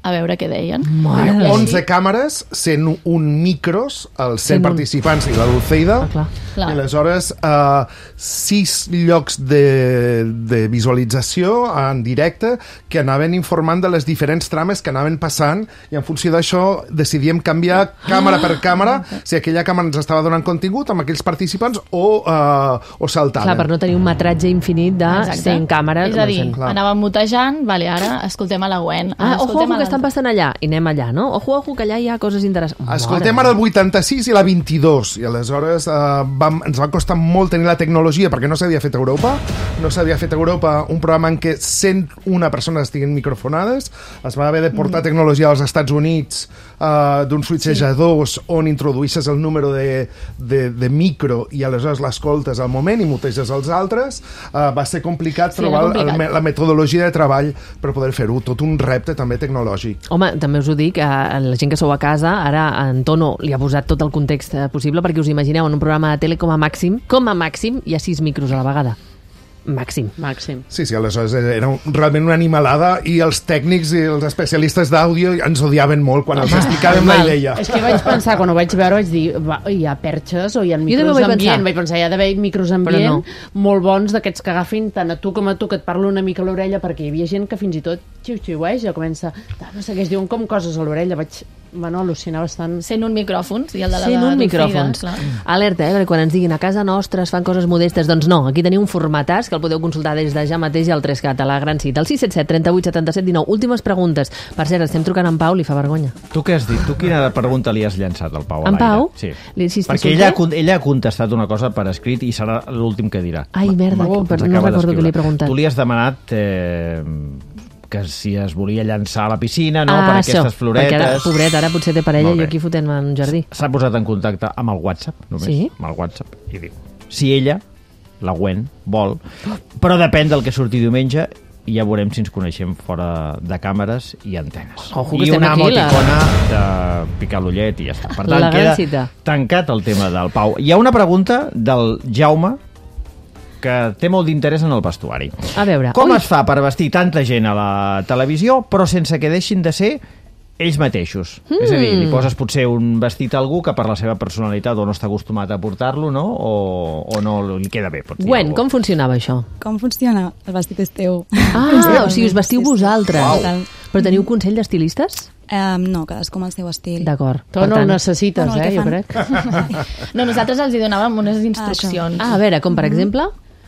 a veure què deien. Mare de Déu. onze càmeres, cent un micros, els cent cent un. participants i la Dulceida, Ah, clar. Clar. i aleshores uh, sis llocs de, de visualització en directe que anaven informant de les diferents trames que anaven passant, i en funció d'això decidíem canviar càmera per càmera si aquella càmera ens estava donant contingut amb aquells participants o, uh, o saltaven. Clar, per no tenir un metratge infinit de Exacte. cent càmeres. És a dir, clar. anàvem mutejant, vale, ara escoltem a la Gwen. Ah, ara ojo, escoltem ojo, a que estan l'altre. passant allà. I anem allà, no? Ojo, ojo, que allà hi ha coses interessants. Escoltem Mare ara el vuitanta-sis i la vint-i-dos, i aleshores eh, vam, ens va costar molt tenir la tecnologia perquè no s'havia fet a Europa, no s'havia fet a Europa un programa en què cent una persones estiguin microfonades, es va haver de portar mm. tecnologia als Estats Units eh, d'uns switchejadors sí. on introduïsses el número de, de, de micro i aleshores l'escoltes al moment i muteges els altres. Eh, va ser complicat Sí, trobar era complicat. el, la metodologia de treball per poder fer-ho, tot un repte també tecnològic. Home, també us ho dic, a la gent que sou a casa, ara en Tono li ha posat tot el context eh, possible perquè us imagineu en un programa de tele com a màxim, com a màxim hi ha sis micros a la vegada. màxim. Màxim. Sí, sí, aleshores era un, realment una animalada i els tècnics i els especialistes d'àudio ens odiaven molt quan els explicaven la idea. És que vaig pensar, quan ho vaig veure, vaig dir, va, hi ha perxes o hi ha micros ambient. Vaig pensar, hi ha d'haver micros ambient no. molt bons d'aquests que agafin tant a tu com a tu, que et parlo una mica a l'orella, perquè hi havia gent que fins i tot xiu-xiueix, ja comença, no sé què, es diuen com coses a l'orella, vaig bueno, al·lucinar bastant. Sent un micròfons i el de la Sent un Dulceida, micròfons. clar. Alerta, eh, perquè quan ens diguin a casa nostra es fan coses modestes, doncs no, aquí teniu un formatàs que el podeu consultar des de ja mateix al tres cat, a la Gran Cita, al sis set set, trenta-vuit, setanta-set, dinou. Últimes preguntes. Per cert, estem trucant en Pau, li fa vergonya. Tu què has dit? Tu quina pregunta li has llançat al Pau a En l'aire? Pau? Sí. Li- si Perquè ella ha, con- ella ha contestat una cosa per escrit i serà l'últim que dirà. Ai, merda, Ma- però ens no acaba recordo d'escriure. què li he preguntat. Tu li has demanat eh, que si es volia llançar a la piscina, no?, ah, per això, aquestes floretes. perquè ara, pobret, ara potser té parella Molt i bé. jo aquí fotent en un jardí. S'ha posat en contacte amb el WhatsApp, només, Sí? amb el WhatsApp, i diu, si ella, la Gwen, vol, però depèn del que surti diumenge, i ja veurem si ens coneixem fora de càmeres i antenes. Ojo, que I estem una aquí, la- emoticona de picar l'ullet i ja està. Per tant, La gran queda cita. tancat el tema del Pau. Hi ha una pregunta del Jaume que té molt d'interès en el vestuari. A veure, Com ui. es fa per vestir tanta gent a la televisió, però sense que deixin de ser ells mateixos? Mm. És a dir, li poses potser un vestit a algú que per la seva personalitat o no està acostumat a portar-lo, no? O, o no li queda bé. Pots dir Gwen, alguna com funcionava això? Com funciona? El vestit és teu. Ah, o sigui, us vestiu Sí, sí. vosaltres. Total. Però teniu consell d'estilistes? Um, no, cadascú amb el seu estil. D'acord. Tu Per no ho tant- necessites, Bueno, el eh, que jo fan. crec. No, nosaltres els hi donàvem unes instruccions. Ah, a veure, com per exemple,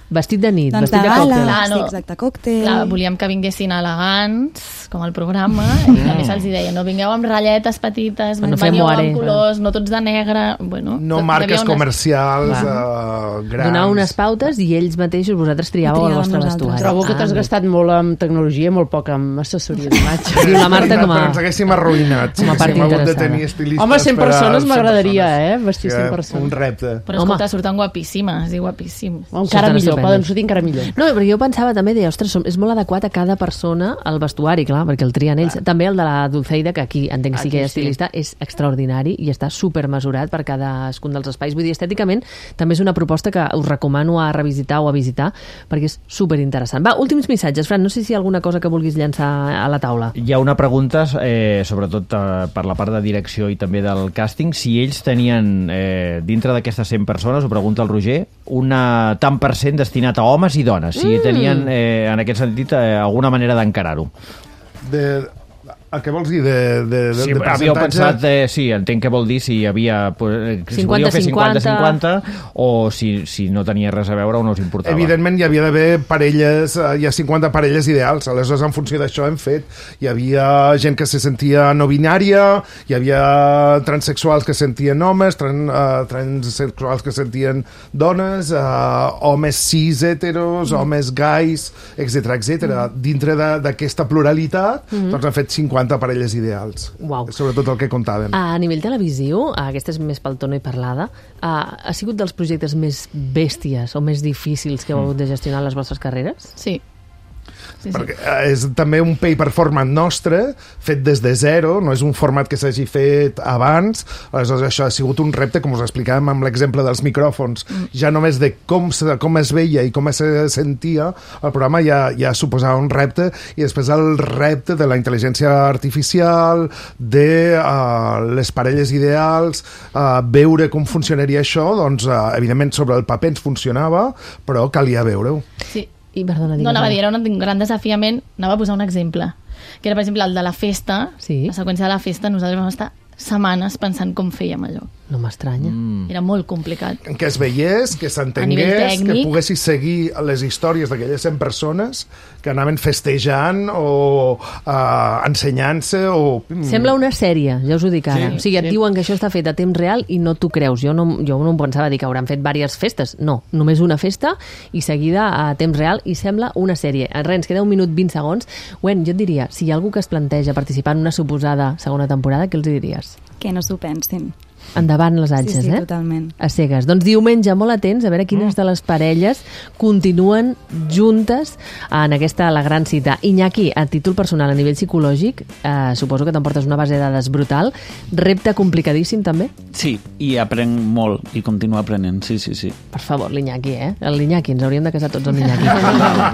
vestit de nit, Doncs vestit de de còctel. gala, Clar, sí, no. exacte, còctel. Clar, volíem que vinguessin elegants, com el programa, i a més els hi deia, no vingueu amb ratlletes petites, No fem veniu moare, amb colors, no tots de negre... Bueno, No tot- hi marques havia unes- comercials Clar. uh, grans. Donar unes pautes i ells mateixos, vosaltres triàveu el Triàvem vostre nosaltres. vestuari. Trobo que t'has Ah, gastat molt en tecnologia i molt poc en assessoria d'imatge. Diu la Marta com a... Però ens haguéssim arruïnat. com a part haguéssim hagut de interessada. tenir estilistes Home, cent per a persones cent m'agradaria, persones. eh? Vestir cent Sí, persones. Un repte. Però Home. escolta, surten guapíssimes, i guapíssims. O encara Surten millor, estupendes. poden sortir encara millor. No, però jo pensava també, deia, ostres, som- és molt adequat a cada persona el vestuari, clar, perquè el trien ells. També el de la Dulceida, que aquí entenc que sí que hi ha Aquí sí. estilista, és extraordinari i està supermesurat per cadascun dels espais. Vull dir, estèticament també és una proposta que us recomano a revisitar o a visitar, perquè és superinteressant. Va, últims missatges. Fran, no sé si hi ha alguna cosa que vulguis llançar a la taula. Hi ha una pregunta, eh, sobretot eh, per la part de direcció i també del càsting, si ells tenien, eh, dintre d'aquestes cent persones, ho pregunta el Roger, un tant per cent destinat a homes i dones, si Mm. tenien, eh, en aquest sentit, eh, alguna manera d'encarar-ho. De, el que vols dir de, de, de, Sí, de havíeu percentatge? pensat, eh, sí, entenc que vol dir si hi havia, pues, si cinquanta volíeu fer cinquanta. cinquanta cinquanta o si, si no tenia res a veure o no us importava. Evidentment hi havia d'haver parelles, eh, hi ha cinquanta parelles ideals, aleshores en funció d'això hem fet. Hi havia gent que se sentia no binària, hi havia transexuals que sentien homes, tran, uh, transsexuals que sentien dones, uh, homes cis heteros, mm. homes gais, etcètera etcètera. Mm. Dintre de- d'aquesta pluralitat, mm. doncs han fet cinquanta parelles ideals. Uau. Sobretot el que comptàvem. A nivell televisiu, aquesta és més pel tono i parlada, ha, ha sigut dels projectes més bèsties o més difícils que heu hagut de gestionar en les vostres carreres? Sí. Sí, sí. Perquè eh, és també un pay per format nostre, fet des de zero, no és un format que s'hagi fet abans, aleshores això ha sigut un repte, com us explicàvem amb l'exemple dels micròfons, mm. ja només de com, se, com es veia i com es sentia, el programa ja, ja suposava un repte, i després el repte de la intel·ligència artificial, de uh, les parelles ideals, uh, veure com funcionaria això, doncs, uh, evidentment, sobre el paper ens funcionava, però calia veure-ho. Sí. I, perdona, No, digues. anava a dir, era un gran desafiament. Anava a posar un exemple, que era, per exemple, el de la festa. Sí. La seqüència de la festa, nosaltres vam estar setmanes pensant com fèiem allò. No m'estranya. Mm. Era molt complicat. Que es veiés, que A nivell s'entengués, que tècnic. poguessis seguir les històries d'aquelles cent persones que anaven festejant o uh, ensenyant-se o... Sembla una sèrie, ja us ho dic ara. Sí, o sigui, et sí. diuen que això està fet a temps real i no t'ho creus. Jo no, jo no em pensava dir que hauran fet diverses festes. No, només una festa i seguida a temps real i sembla una sèrie. Res, ens queda un minut vint segons. Wen, jo et diria, si hi ha algú que es planteja participar en una suposada segona temporada, què els diries? Que no s'ho pensin. Endavant les atxes, sí, sí, eh? totalment. A cegues. Doncs diumenge, molt atents, a veure quines de les parelles continuen juntes en aquesta La Gran Cita. Iñaki, a títol personal, a nivell psicològic, eh, suposo que t'emportes una base de dades brutal. Repte complicadíssim, també? Sí, i aprenc molt, i continuo aprenent, sí, sí, sí. Per favor, l'Iñaki, eh? L'Iñaki, ens hauríem de casar tots amb l'Iñaki.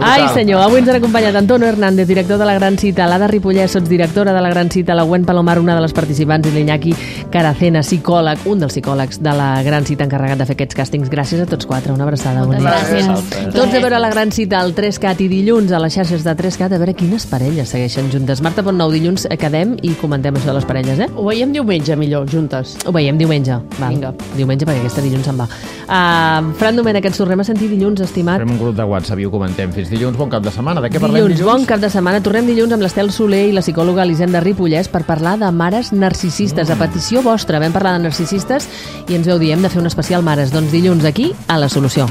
Ai, senyor, avui ens han acompanyat Antonio Hernández, director de La Gran Cita, l'Ada Ripollès, sotsdirectora de La Gran Cita, la Gwen Palomar, una de les participants, i l'Iñaki Caracena, psicòleg, un dels psicòlegs de La Gran Cita encarregat de fer aquests càstings. Gràcies a tots quatre, una abraçada. Moltes gràcies. Tots a veure La Gran Cita al tres cat i dilluns a les xarxes de tres cat a veure quines parelles segueixen juntes. Marta Pontnou, dilluns quedem i comentem això de les parelles, eh? Ho veiem diumenge, millor, juntes. Ho veiem diumenge. Val. Vinga. Diumenge, perquè aquesta dilluns se'n va. Uh, Fran Domènech, ens tornem a sentir dilluns, estimat. Farem un grup de WhatsApp i ho comentem. Fins dilluns, bon cap de setmana. De què parlem Dilluns, dilluns? bon cap de setmana. Tornem dilluns amb l'Estel Soler i la psicòloga Elisenda Ripollès per parlar de mares narcisistes. A petició vostra vam parlar de narcisistes i ens veu dir hem de fer un especial mares. Doncs dilluns aquí, a La Solució.